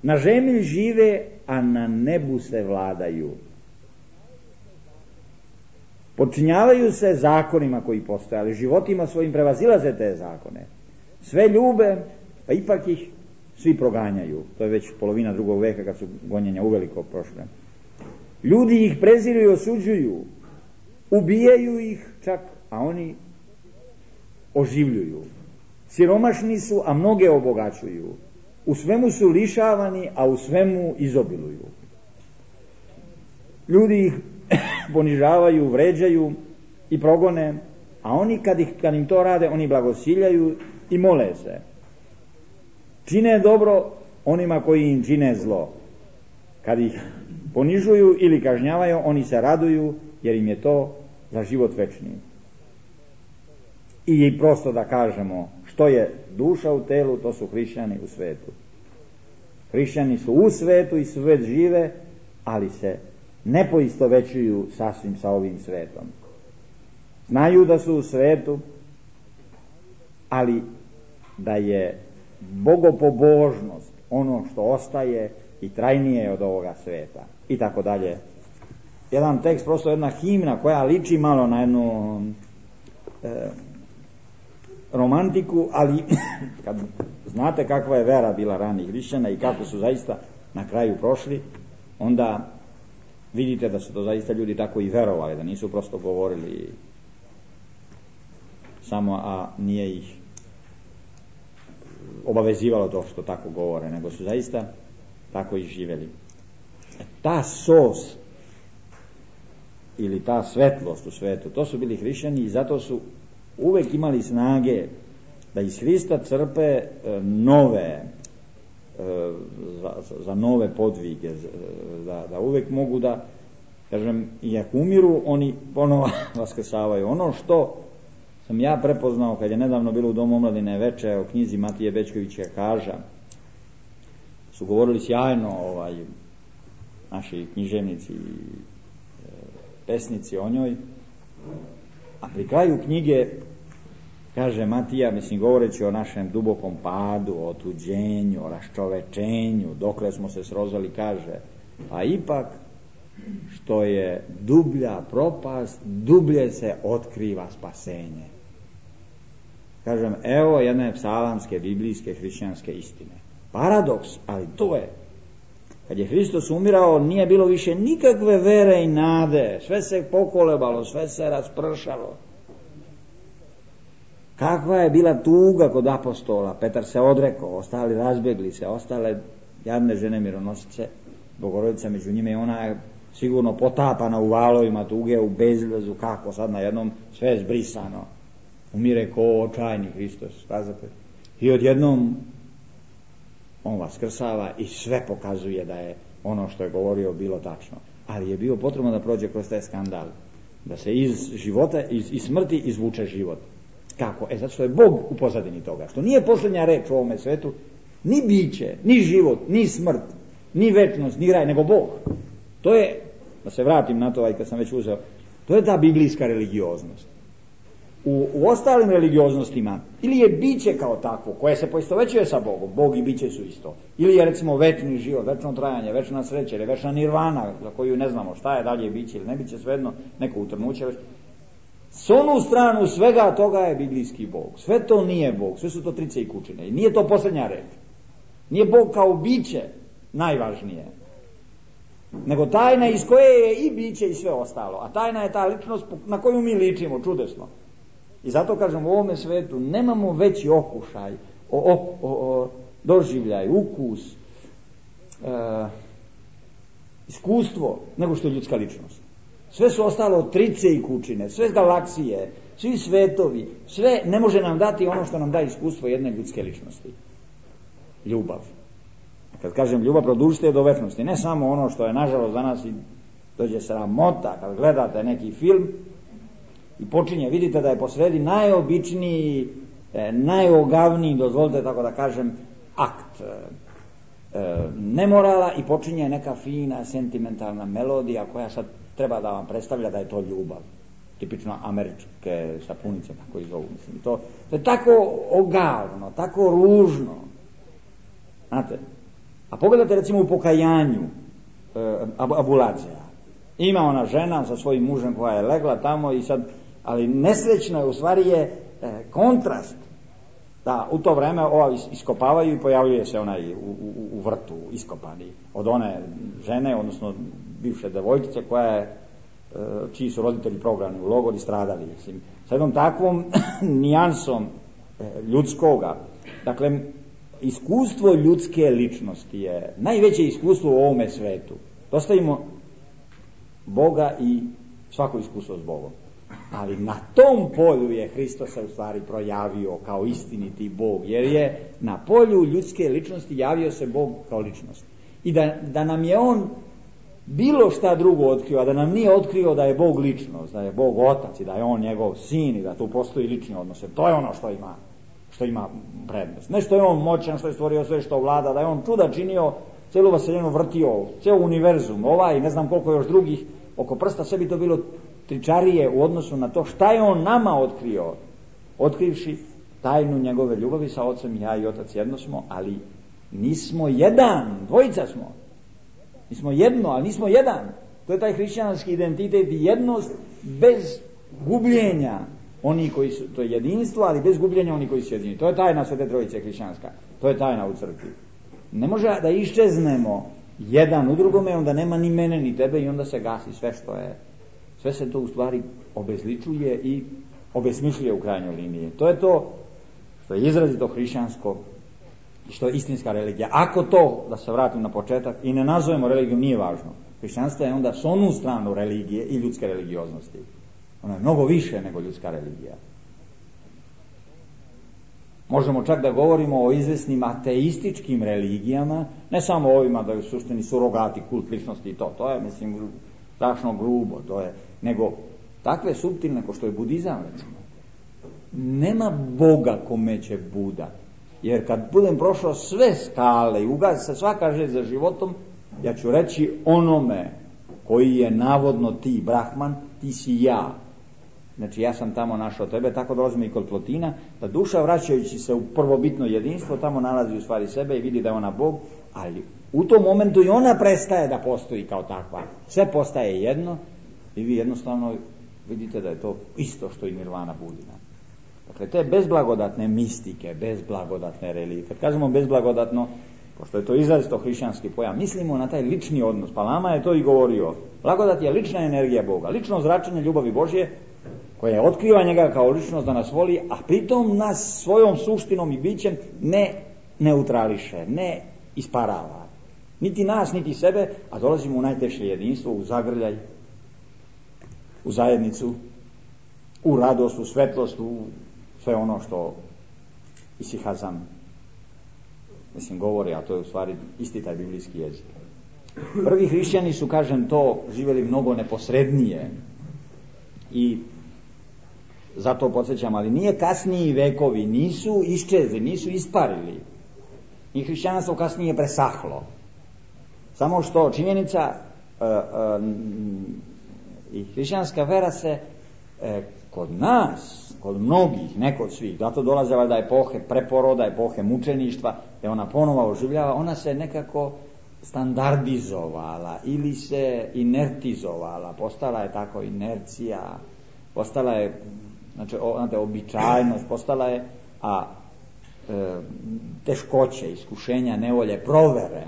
Na zemlji žive, a na nebu se vladaju. Podčinjavaju se zakonima koji postoje, ali životima svojim prevazilaze te zakone. Sve ljube, pa ipak ih svi proganjaju. To je već polovina 2. veka kad su gonjenja uveliko prošle. Ljudi ih preziru i osuđuju, ubijaju ih čak, a oni oživljuju. Siromašni su, a mnoge obogaćuju. U svemu su lišavani, a u svemu izobiluju. Ljudi ih ponižavaju, vređaju i progone, a oni kad im to rade, oni blagosiljaju i mole se. Čine dobro onima koji im čine zlo. Kad ih ponižuju ili kažnjavaju, oni se raduju, jer im je to za život večni. I prosto da kažemo, što je duša u telu, to su hrišćani u svetu. Hrišćani su u svetu i svet žive, ali se ne poistovećuju sasvim sa ovim svetom. Znaju da su u svetu, ali da je bogopobožnost ono što ostaje i trajnije od ovoga sveta. I tako dalje. Jedan tekst, prosto jedna himna koja liči malo na jednu romantiku, ali kad znate kakva je vera bila ranih hrišćana i kako su zaista na kraju prošli, onda vidite da su to zaista ljudi tako i verovali, da nisu prosto govorili samo, a nije ih obavezivalo to što tako govore, nego su zaista tako i živjeli. Ta sos ili ta svetlost u svetu, to su bili hrišćani i zato su uvek imali snage da iz Hrista crpe nove za nove podvige, da uvek mogu da, kažem, i ako umiru, oni ponovo vaskrsavaju. Ono što sam ja prepoznao kad je nedavno bilo u Domu omladine veče o knjizi Matije Bećkovića Kaža, su govorili sjajno naši književnici i pesnici o njoj, a pri kraju knjige kaže Matija, mislim govoreći o našem dubokom padu, o otuđenju, o raščovečenju, dokle smo se srozali, kaže, a ipak što je dublja propast, dublje se otkriva spasenje. Kažem, evo jedne psalamske, biblijske, hrišćanske istine. Paradoks, ali to je. Kad je Hristos umirao, nije bilo više nikakve vere i nade, sve se pokolebalo, sve se raspršalo. Kakva je bila tuga kod apostola, Petar se odrekao, ostali razbjegli se, ostale jadne žene mironosice, Bogorodica među njime, i ona je sigurno potapana u valovima tuge, u bezvezu, kako sad najednom sve je zbrisano. Umire ko očajni Hristos, kazate. I odjednom on vaskrsava i sve pokazuje da je ono što je govorio bilo tačno. Ali je bio potrebno da prođe kroz taj skandal, da se iz života, iz smrti izvuče život. Kako? Zato što je Bog u pozadini toga. Što nije posljednja reč u ovome svetu, ni biće, ni život, ni smrt, ni večnost, ni raj, nego Bog. To je, da se vratim na to, kad sam već uzeo, to je ta biblijska religioznost. U ostalim religioznostima ili je biće kao takvo, koje se poistovećuje sa Bogom, Bog i biće su isto. Ili je recimo večni život, večno trajanje, večna sreća ili večna nirvana, za koju ne znamo šta je, dalje biće ili ne biće, svejedno neko utrnuće. S onu stranu svega toga je biblijski Bog. Sve to nije Bog, sve su to trice i kučine. I nije to posljednja reč. Nije Bog kao biće najvažnije, nego tajna iz koje je i biće i sve ostalo. A tajna je ta ličnost na koju mi ličimo, čudesno. I zato kažem, u ovome svetu nemamo veći okušaj, doživljaj, ukus, iskustvo, nego što je ljudska ličnost. Sve su ostalo trice i kučine, sve galaksije, svi svetovi, sve ne može nam dati ono što nam da iskustvo jedne ljudske ličnosti. Ljubav. Kad kažem ljubav, produžite do večnosti. Ne samo ono što je nažalost za nas i dođe sramota kad gledate neki film i počinje, vidite da je posredi najobičniji, najogavniji, dozvolite tako da kažem, akt nemorala i počinje neka fina sentimentalna melodija koja sad treba da vam predstavlja da je to ljubav. Tipično američke sapunice, tako i zovu. Mislim, to je tako ogavno, tako ružno. Znate, a pogledajte recimo u pokajanju Abuladzea. Ima ona žena sa svojim mužem koja je legla tamo i sad, ali nesrećno je, u stvari je kontrast da u to vreme ova iskopavaju i pojavljuje se onaj u vrtu iskopani od one žene, odnosno bivše devojčice koja je, čiji su roditelji prognani u logor i stradali. Mislim, sa jednom takvom nijansom ljudskoga. Dakle, iskustvo ljudske ličnosti je najveće iskustvo u ovome svetu. Dostavimo Boga i svako iskustvo s Bogom. Ali na tom polju je Hristos se u stvari projavio kao istiniti Bog, jer je na polju ljudske ličnosti javio se Bog kao ličnost. I da nam je on bilo šta drugo otkrio, a da nam nije otkrio da je Bog ličnost, da je Bog otac i da je on njegov sin i da tu postoji lični odnos. To je ono što ima prednost. Ne što je on moćan, što je stvorio sve, što vlada, da je on čuda činio, cijelu vaseljenu vrtio, cijel univerzum, ne znam koliko još drugih, oko prsta, sve bi to bilo tričarije u odnosu na to šta je on nama otkrio, otkrivši tajnu njegove ljubavi sa ocem. Ja i otac jedno smo, ali nismo jedan, dvojica smo. Mi smo jedno, ali nismo jedan. To je taj hrišćanski identitet i jednost bez gubljenja oni koji su, to je jedinstvo, ali bez gubljenja oni koji su jedini. To je tajna Svete Trojice hrišćanska. To je tajna u crkvi. Ne može da iščeznemo jedan u drugome, onda nema ni mene ni tebe i onda se gasi sve što je. Sve se to u stvari obezličuje i obesmišljuje u krajnjoj liniji. To je to što je izrazito hrišćansko i što je istinska religija. Ako to, da se vratim na početak, i ne nazovemo religijom, nije važno. Hrišćanstvo je onda s onu stranu religije i ljudske religioznosti. Ono je mnogo više nego ljudska religija. Možemo čak da govorimo o izvesnim ateističkim religijama, ne samo ovima da je u suštini surogati, kult ličnosti i to je, mislim, strašno grubo, nego takve suptilne ko što je budizam, recimo. Nema Boga kome će Buda, jer kad budem prošao sve skale i ugazi se svaka želja za životom, ja ću reći onome koji je navodno ti Brahman, ti si ja. Znači ja sam tamo našao tebe, tako dolazimo i kod Plotina, da duša vraćajući se u prvobitno jedinstvo tamo nalazi u stvari sebe i vidi da je ona Bog, ali u tom momentu i ona prestaje da postoji kao takva. Sve postaje jedno i vi jednostavno vidite da je to isto što i nirvana budina. Dakle, te bezblagodatne mistike, bezblagodatne religije. Kad kažemo bezblagodatno, pošto je to izrazito hrišćanski pojam, mislimo na taj lični odnos. Pa Lama je to i govorio. Blagodat je lična energija Boga, lično zračenje ljubavi Božje, koja otkriva njega kao ličnost da nas voli, a pritom nas svojom suštinom i bićem ne neutrališe, ne isparava. Niti nas, niti sebe, a dolazimo u najteže jedinstvo, u zagrljaj, u zajednicu, u radost, u svetlost, u sve ono što Isihazam govori, a to je u stvari isti taj biblijski jezik. Prvi hrišćani su, kažem, to živjeli mnogo neposrednije i zato podsjećam, ali nije kasniji vekovi, nisu iščezli, nisu isparili. I hrišćanstvo kasnije presahlo. Samo što činjenica i hrišćanska vera se kod nas, kod mnogih, ne kod svih, zato dolaze valjda epohe preporoda, epohe mučeništva, gdje ona ponovo oživljava, ona se nekako standardizovala ili se inertizovala, postala je tako inercija, postala je, znači, običajnost, postala je, teškoće, iskušenja, nevolje, provere,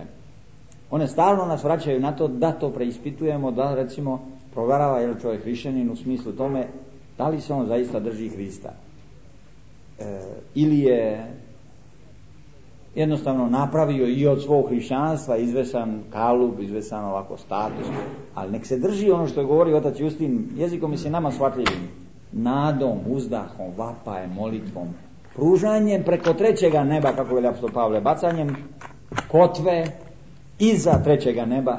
one stalno nas vraćaju na to da to preispitujemo, da recimo proverava je li čovjek hrišćanin u smislu tome da li se on zaista drži Hrista, ili je jednostavno napravio i od svog hrišćanstva izvesan kalub, izvesan ovako status, ali nek se drži ono što je govorio otac Justin, jezikom mislim nama shvatljivim, nadom, uzdahom, vapajem, molitvom, pružanjem preko trećega neba, kako veli apostol Pavle, bacanjem kotve iza trećega neba,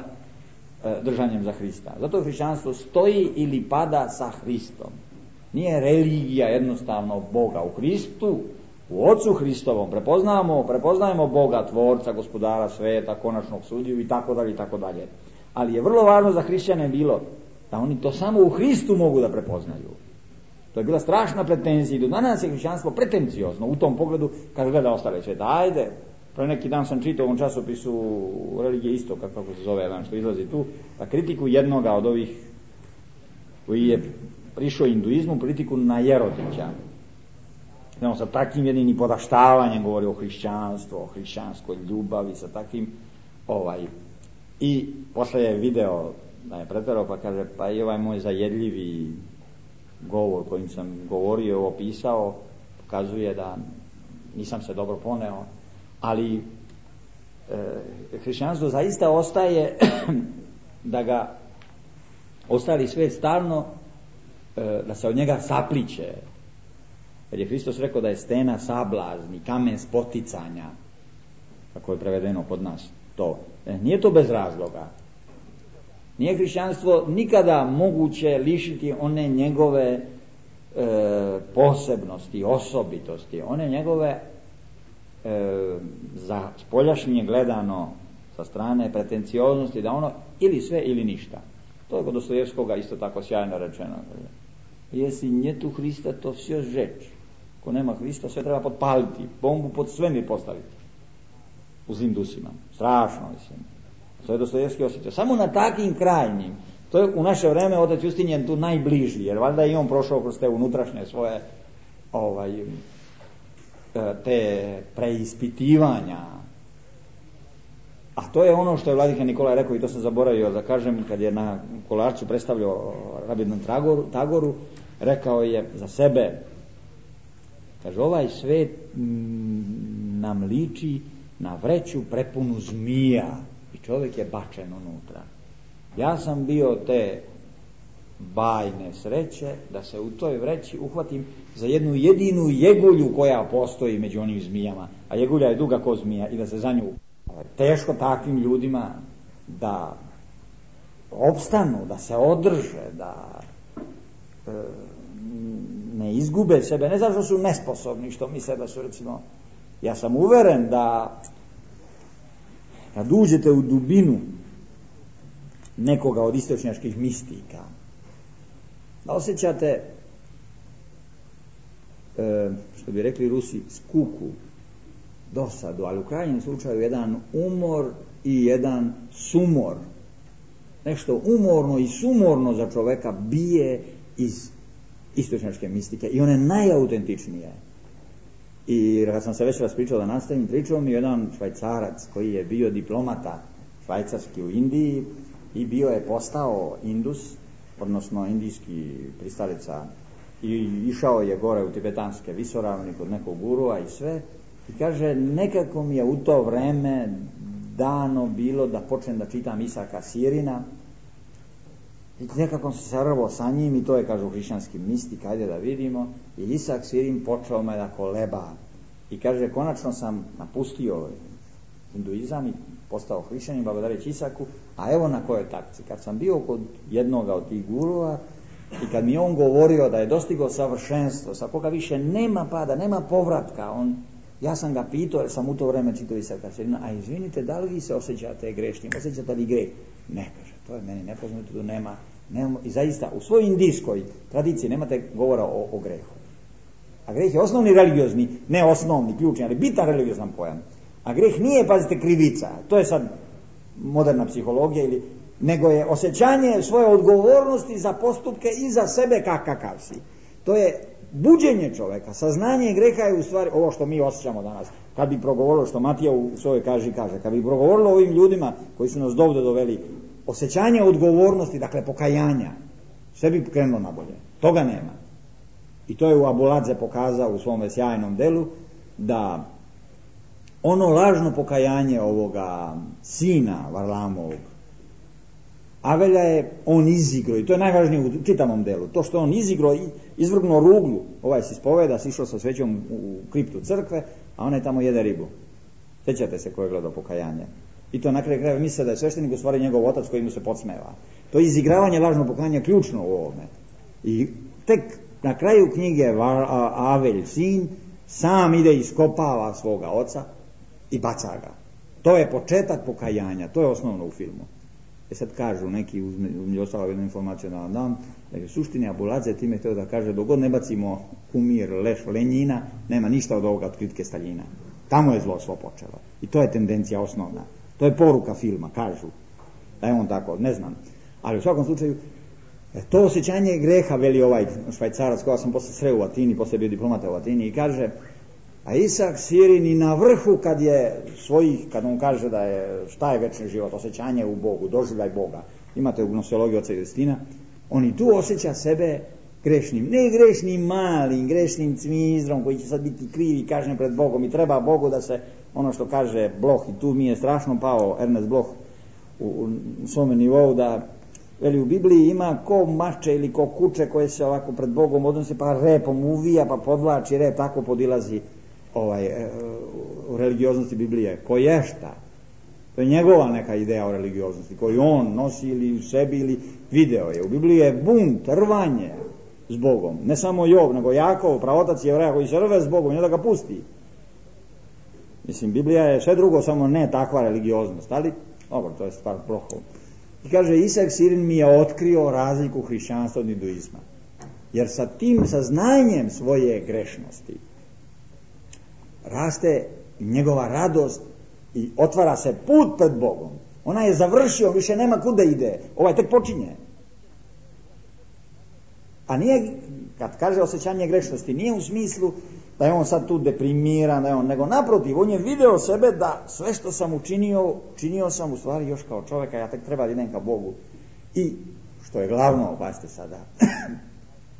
držanjem za Hrista. Zato hrišćanstvo stoji ili pada sa Hristom. Nije religija jednostavno Boga u Hristu, u Ocu Hristovom. Prepoznajemo Boga, Tvorca, Gospodara sveta, konačnog sudiju i tako dalje i tako dalje. Ali je vrlo važno za hrišćane bilo da oni to samo u Hristu mogu da prepoznaju. To je bila strašna pretenzija i do danas je hrišćanstvo pretenciozno u tom pogledu kad gleda ostale sveta. Ajde, pre neki dan sam čitao u ovom časopisu Religije Istok, kako se zove jedan što izlazi tu, pa kritiku jednoga od ovih koji je prišao hinduizmu, kritiku na Jerodića. Znamo, sa takvim jednim podaštavanjem govori o hrišćanstvu, o hrišćanskoj ljubavi, sa takvim i posle je video da je preterao, pa kaže, pa i ovaj moj zajedljivi govor kojim sam govorio, opisao, pokazuje da nisam se dobro poneo, ali hrišćanstvo zaista ostaje da ga ostali svet stalno, da se od njega sapliće. Jer je Hristos rekao da je stena sablazni, kamen spoticanja, kako je prevedeno kod nas to. Nije to bez razloga. Nije hrišćanstvo nikada moguće lišiti one njegove posebnosti, osobitosti, one njegove za spoljašnje gledano sa strane pretencioznosti, da ono ili sve ili ništa. To je kod Dostojevskoga isto tako sjajno rečeno. Jesi njetu Hrista, to sve žeč. Ako nema Hrista, sve treba potpaliti, bombu pod svemir postaviti u zlim dusima. Strašno, mislim. To je Dostojevski osjećao. Samo na takvim krajnjim, to je u naše vreme otac Justin je tu najbliži, jer valjda i on prošao kroz te unutrašnje svoje te preispitivanja A to je ono što je vladika Nikolaj rekao, i to sam zaboravio da kažem, kad je na Kolarcu predstavljao Rabindran Tagoru, rekao je za sebe, kaže, ovaj svet nam liči na vreću prepunu zmija i čovjek je bačen unutra. Ja sam bio te bajne sreće da se u toj vreći uhvatim za jednu jedinu jegulju koja postoji među onim zmijama, a jegulja je duga ko zmija, i da se za nju. Teško takvim ljudima da opstanu, da se održe, da ne izgube sebe, ne zato što su nesposobni, što misle da su, recimo, ja sam uveren da kad uđete u dubinu nekoga od istočnjačkih mistika, da osjećate, što bi rekli Rusi, skuku, dosadu, ali u krajnjem slučaju jedan umor i jedan sumor. Nešto umorno i sumorno za čoveka bije iz istočnjačke mistike i one najautentičnije. I kad sam se već raspričao da nastavim, pričao mi jedan Švajcarac koji je bio diplomata švajcarski u Indiji i bio je postao Indus, odnosno indijski pristalica, i išao je gore u tibetanske visoravni kod nekog gurua i sve, i kaže, nekako mi je u to vreme dano bilo da počnem da čitam Isaka Sirina, i nekako sam se rvao sa njim, i to je, kažu, hrišćanski mistik, ajde da vidimo, i Isak Sirin počeo me da koleba, i kaže, konačno sam napustio hinduizam i postao hrišćanin blagodareći Isaku, a evo na kojoj takci. Kad sam bio kod jednoga od tih gurua i kad mi je on govorio da je dostigao savršenstvo, sa koga više nema pada, nema povratka, ja sam ga pitao, jer sam u to vreme čitao Isaka Sirina, a izvinite, da li vi se osjećate grešnim, osjećate li greh? Ne, kaže, to je meni nepoznato, tu nema. I zaista, u svojoj indijskoj tradiciji nemate govora o grehu. A greh je osnovni religiozni, ne osnovni, ključni, ali bitan religiozan pojam. A greh nije, pazite, krivica, to je sad moderna psihologija, nego je osjećanje svoje odgovornosti za postupke i za sebe kakav si. To je buđenje čoveka, saznanje greha je u stvari ovo što mi osjećamo danas. Kad bi progovorilo, što Matija u svojoj kaže, kad bi progovorilo ovim ljudima koji su nas dovde doveli, osjećanje odgovornosti, dakle pokajanja, sve bi krenulo na bolje. Toga nema. I to je u Abuladze pokazao u svom sjajnom delu, da ono lažno pokajanje ovoga sina Varlamovog, Avelja je on izigro, i to je najvažnije u čitavom delu, to što on izigro i izvrgnuo ruglu, ovaj se ispoveda, sišao sa svećom u kriptu crkve, a onaj tamo jede ribu. Sjećate se ko je gledao pokajanje. I to na kraju krajeva misle da je sveštenik u stvari njegov otac koji mu se podsmeva. To je izigravanje lažnog pokajanja ključno u ovome. I tek na kraju knjige Avelj, sin, sam ide i iskopava svoga oca i baca ga. To je početak pokajanja, to je osnovno u filmu. Sad kažu neki, uzmeđu ostalo jednu informaciju da vam dam, da je u suštini Abuladze time htio da kaže, dok god ne bacimo kumir, leš Lenjina, nema ništa od ovoga od kritike Staljina. Tamo je zlo svo počelo. I to je tendencija osnovna. To je poruka filma, kažu. Da je on tako, ne znam. Ali u svakom slučaju, to osjećanje greha, veli ovaj Švajcarac, koga sam posle sreo u Atini, posle bio diplomata u Atini, i kaže, a Isak Sirin i na vrhu kad on kaže da je, šta je večni život, osjećanje u Bogu, doživljaj Boga, imate u gnoseologiji oca Justina, on i tu osjeća sebe grešnim, ne grešnim malim, grešnim cmizdrom koji će sad biti kriv i kažnjen pred Bogom, i treba Bogu da se, ono što kaže Bloch, i tu mi je strašno pao Ernest Bloch u svome nivou, da veli u Bibliji ima ko mače ili ko kuče koje se ovako pred Bogom odnose, pa repom uvija, pa podvlači rep, tako podilazi u religioznosti Biblije. Ko ješta, to je njegova neka ideja o religioznosti koju on nosi ili u sebi ili video je. U Bibliji je bunt, rvanje s Bogom, ne samo Job, nego Jakov, pravotac Jevreja koji se rve s Bogom, ne da ga pusti. Mislim, Biblija je sve drugo, samo ne takva religioznost, ali dobro, to je stvar Blochov. I kaže, Isak Sirin mi je otkrio razliku hrišćanstva od hinduizma, jer sa tim saznanjem svoje grešnosti raste njegova radost i otvara se put pred Bogom. Ona je završio, više nema kuda ide, ovaj tek počinje. A nije, kad kaže osjećanje grešnosti, nije u smislu da je on sad tu deprimiran, nego naprotiv, on je video sebe da sve što sam činio sam u stvari još kao čovjeka, ja tek treba da idem ka Bogu. I, što je glavno, pazite sada,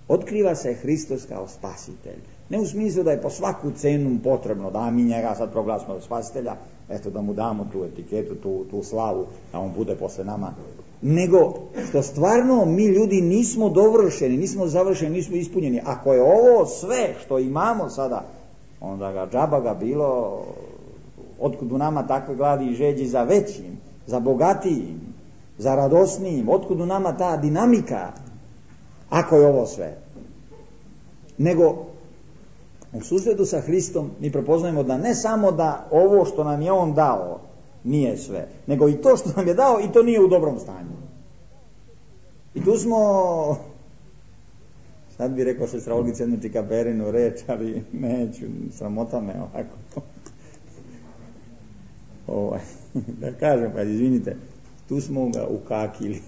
otkriva se Hristos kao spasitelj. Ne u smislu da je po svaku cenu potrebno da mi njega sad proglasimo od spasitelja, eto da mu damo tu etiketu, tu slavu, da on bude posle nama. Nego što stvarno mi ljudi nismo dovršeni, nismo završeni, nismo ispunjeni. Ako je ovo sve što imamo sada, onda ga džaba ga bilo, otkud u nama takve gladi i žeđi za većim, za bogatijim, za radosnijim, otkud u nama ta dinamika, ako je ovo sve. Nego u susretu sa Hristom mi prepoznajemo da ne samo da ovo što nam je on dao nije sve, nego i to što nam je dao i to nije u dobrom stanju. I tu smo, sad bi rekao sestra Olgica jednu čikaperinu reč, ali neću, sramota me ovako. Da kažem, pa izvinite, tu smo ga ukakili.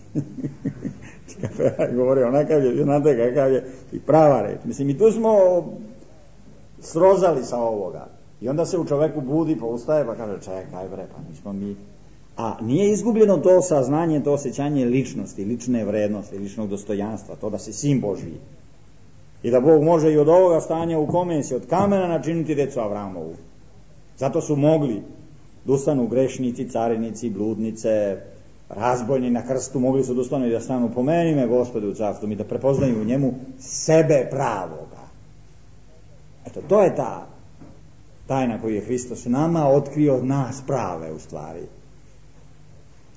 Čikapera je govorio, onakav je, znate kakav je, i prava reč. Mislim, i tu smo srozali sa ovoga. I onda se u čoveku budi, pa ustaje, pa kaže, čekaj bre, pa nismo mi. A nije izgubljeno to saznanje, to osjećanje ličnosti, lične vrednosti, ličnog dostojanstva, to da si sin Božji. I da Bog može i od ovoga stanja u kome se od kamena načiniti decu Avramovu. Zato su mogli da ustanu grešnici, carinici, bludnice, razbojni na krstu, mogli su da ustanu i da stanu, pomeni me Gospode u carstvu, i da prepoznaju u njemu sebe pravoga. Eto, to je ta tajna koju je Hristos nama otkrio, nas prave u stvari.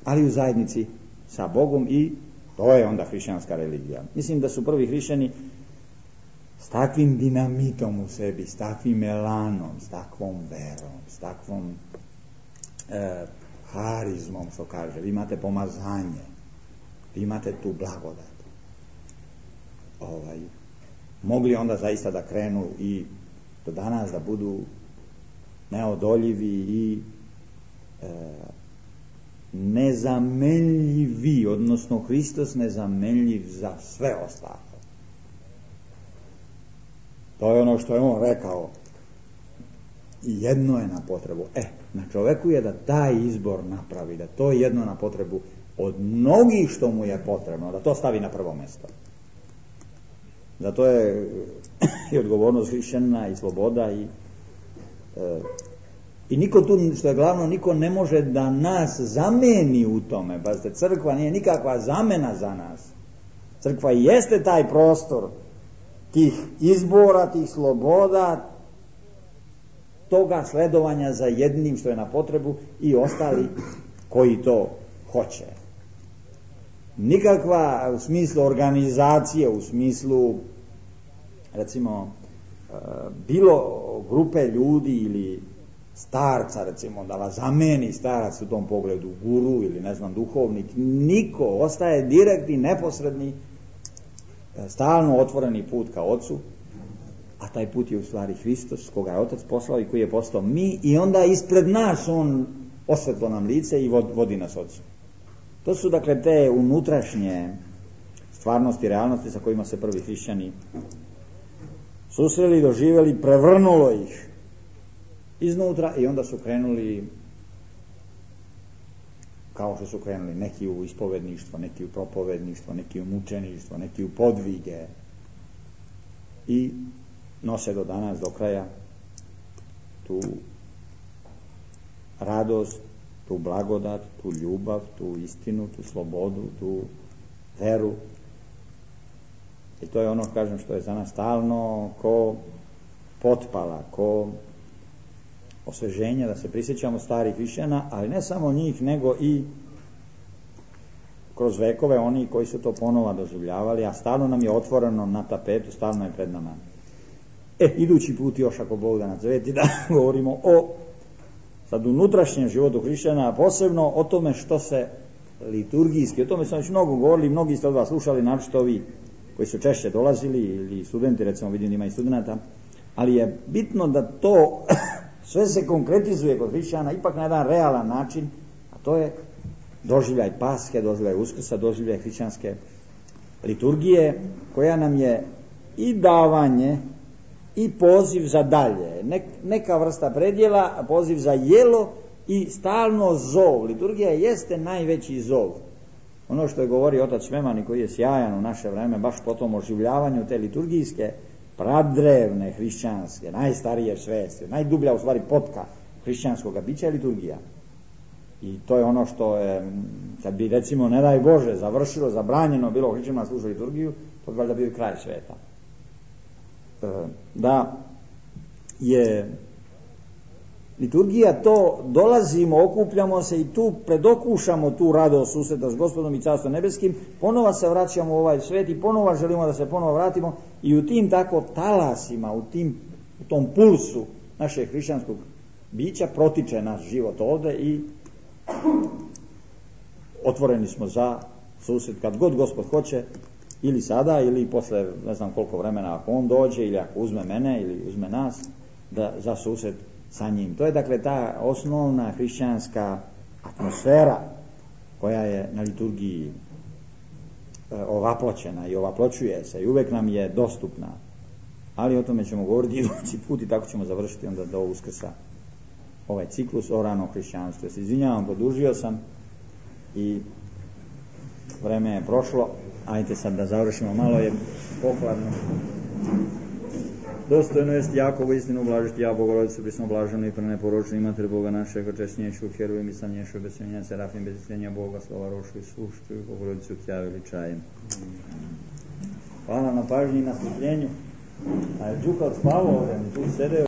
Ali u zajednici sa Bogom, i to je onda hrišćanska religija. Mislim da su prvi hrišćani s takvim dinamitom u sebi, s takvim elanom, s takvom verom, s takvom harizmom, što kaže. Vi imate pomazanje, vi imate tu blagodat. Mogli onda zaista da krenu i do danas da budu neodoljivi i nezamenljivi, odnosno Hristos nezamenljiv za sve ostalo. To je ono što je on rekao. I jedno je na potrebu. Na čoveku je da taj izbor napravi, da to jedno na potrebu od mnogih što mu je potrebno, da to stavi na prvo mjesto. Zato je i odgovornost hrišćanina i sloboda i niko tu, što je glavno, niko ne može da nas zameni u tome. Pazite, crkva nije nikakva zamena za nas. Crkva jeste taj prostor tih izbora, tih sloboda, toga sledovanja za jednim što je na potrebu i ostali koji to hoće. Nikakva u smislu organizacije, u smislu recimo bilo grupe ljudi ili starca, recimo da vas zameni starac u tom pogledu, guru ili ne znam duhovnik, niko, ostaje direktni, neposredni, stalno otvoreni put ka Ocu, a taj put je u stvari Hristos, koga je Otac poslao i koji je postao mi, i onda ispred nas on osvetlo nam lice i vodi nas Ocu. To su dakle te unutrašnje stvarnosti, realnosti sa kojima se prvi hrišćani susreli, doživjeli, prevrnulo ih iznutra i onda su krenuli, kao što su krenuli neki u ispovedništvo, neki u propovedništvo, neki u mučeništvo, neki u podvige, i nose do danas, do kraja, tu radost, tu blagodat, tu ljubav, tu istinu, tu slobodu, tu veru. I to je ono, kažem, što je za nas stalno ko potpala, ko osveženje, da se prisjećamo starih hrišćana, ali ne samo njih, nego i kroz vekove oni koji su to ponova doživljavali, a stalno nam je otvoreno na tapetu, stalno je pred nama. Idući put još, ako Bog da nas zaveti, da govorimo o sad unutrašnjem životu hrišćana, a posebno o tome što se liturgijski, o tome smo već mnogo govorili, mnogi ste od vas slušali, naročito ovi koji su češće dolazili, ili studenti, recimo vidim da ima i studenata, ali je bitno da to sve se konkretizuje kod hrišćana ipak na jedan realan način, a to je doživljaj Paske, doživljaj Uskrsa, doživljaj hrišćanske liturgije, koja nam je i davanje i poziv za dalje, neka vrsta predjela, poziv za jelo i stalno zov. Liturgija jeste najveći zov. Ono što je govorio otac Šmeman, koji je sjajan u naše vreme, baš po tom oživljavanju te liturgijske, pradrevne hrišćanske, najstarije svesti, najdublja u stvari potka hrišćanskog bića je liturgija. I to je ono što je, kad bi recimo, ne daj Bože, završilo, zabranjeno bilo hrišćanima služiti liturgiju, to bi valjda bio kraj sveta. Da je liturgija to, dolazimo, okupljamo se i tu predokušamo tu radost susreta s Gospodom i Carstvom nebeskim, ponova se vraćamo u ovaj svet i ponova želimo da se ponova vratimo i u tim tako talasima, u tom pulsu našeg hrišćanskog bića protiče naš život ovde i otvoreni smo za susret kad god Gospod hoće, ili sada ili posle ne znam koliko vremena, ako on dođe ili ako uzme mene ili uzme nas, da za susret sa njim. To je dakle ta osnovna hrišćanska atmosfera koja je na liturgiji ovaploćena i ovaploćuje se i uvek nam je dostupna. Ali o tome ćemo govoriti idući put i tako ćemo završiti onda do Uskrsa ovaj ciklus o ranom hrišćanstvu. Ja se izvinjavam, produžio sam i vreme je prošlo. Ajde sad da završimo, malo je pohladno. Dostojno jest Jakovo istinu blažiti, ja Bogorodicu prisno blaženo i preneporočeno i Mater Boga našega, česnješu, herujem i samnješu, bez smenja, serafim, bez istrenja Boga, slova rošu i sušću i Bogorodicu tja veličajem. Hvala na pažnji i na strpljenju. A je Đuka odspavao ovdje, tu sedeo.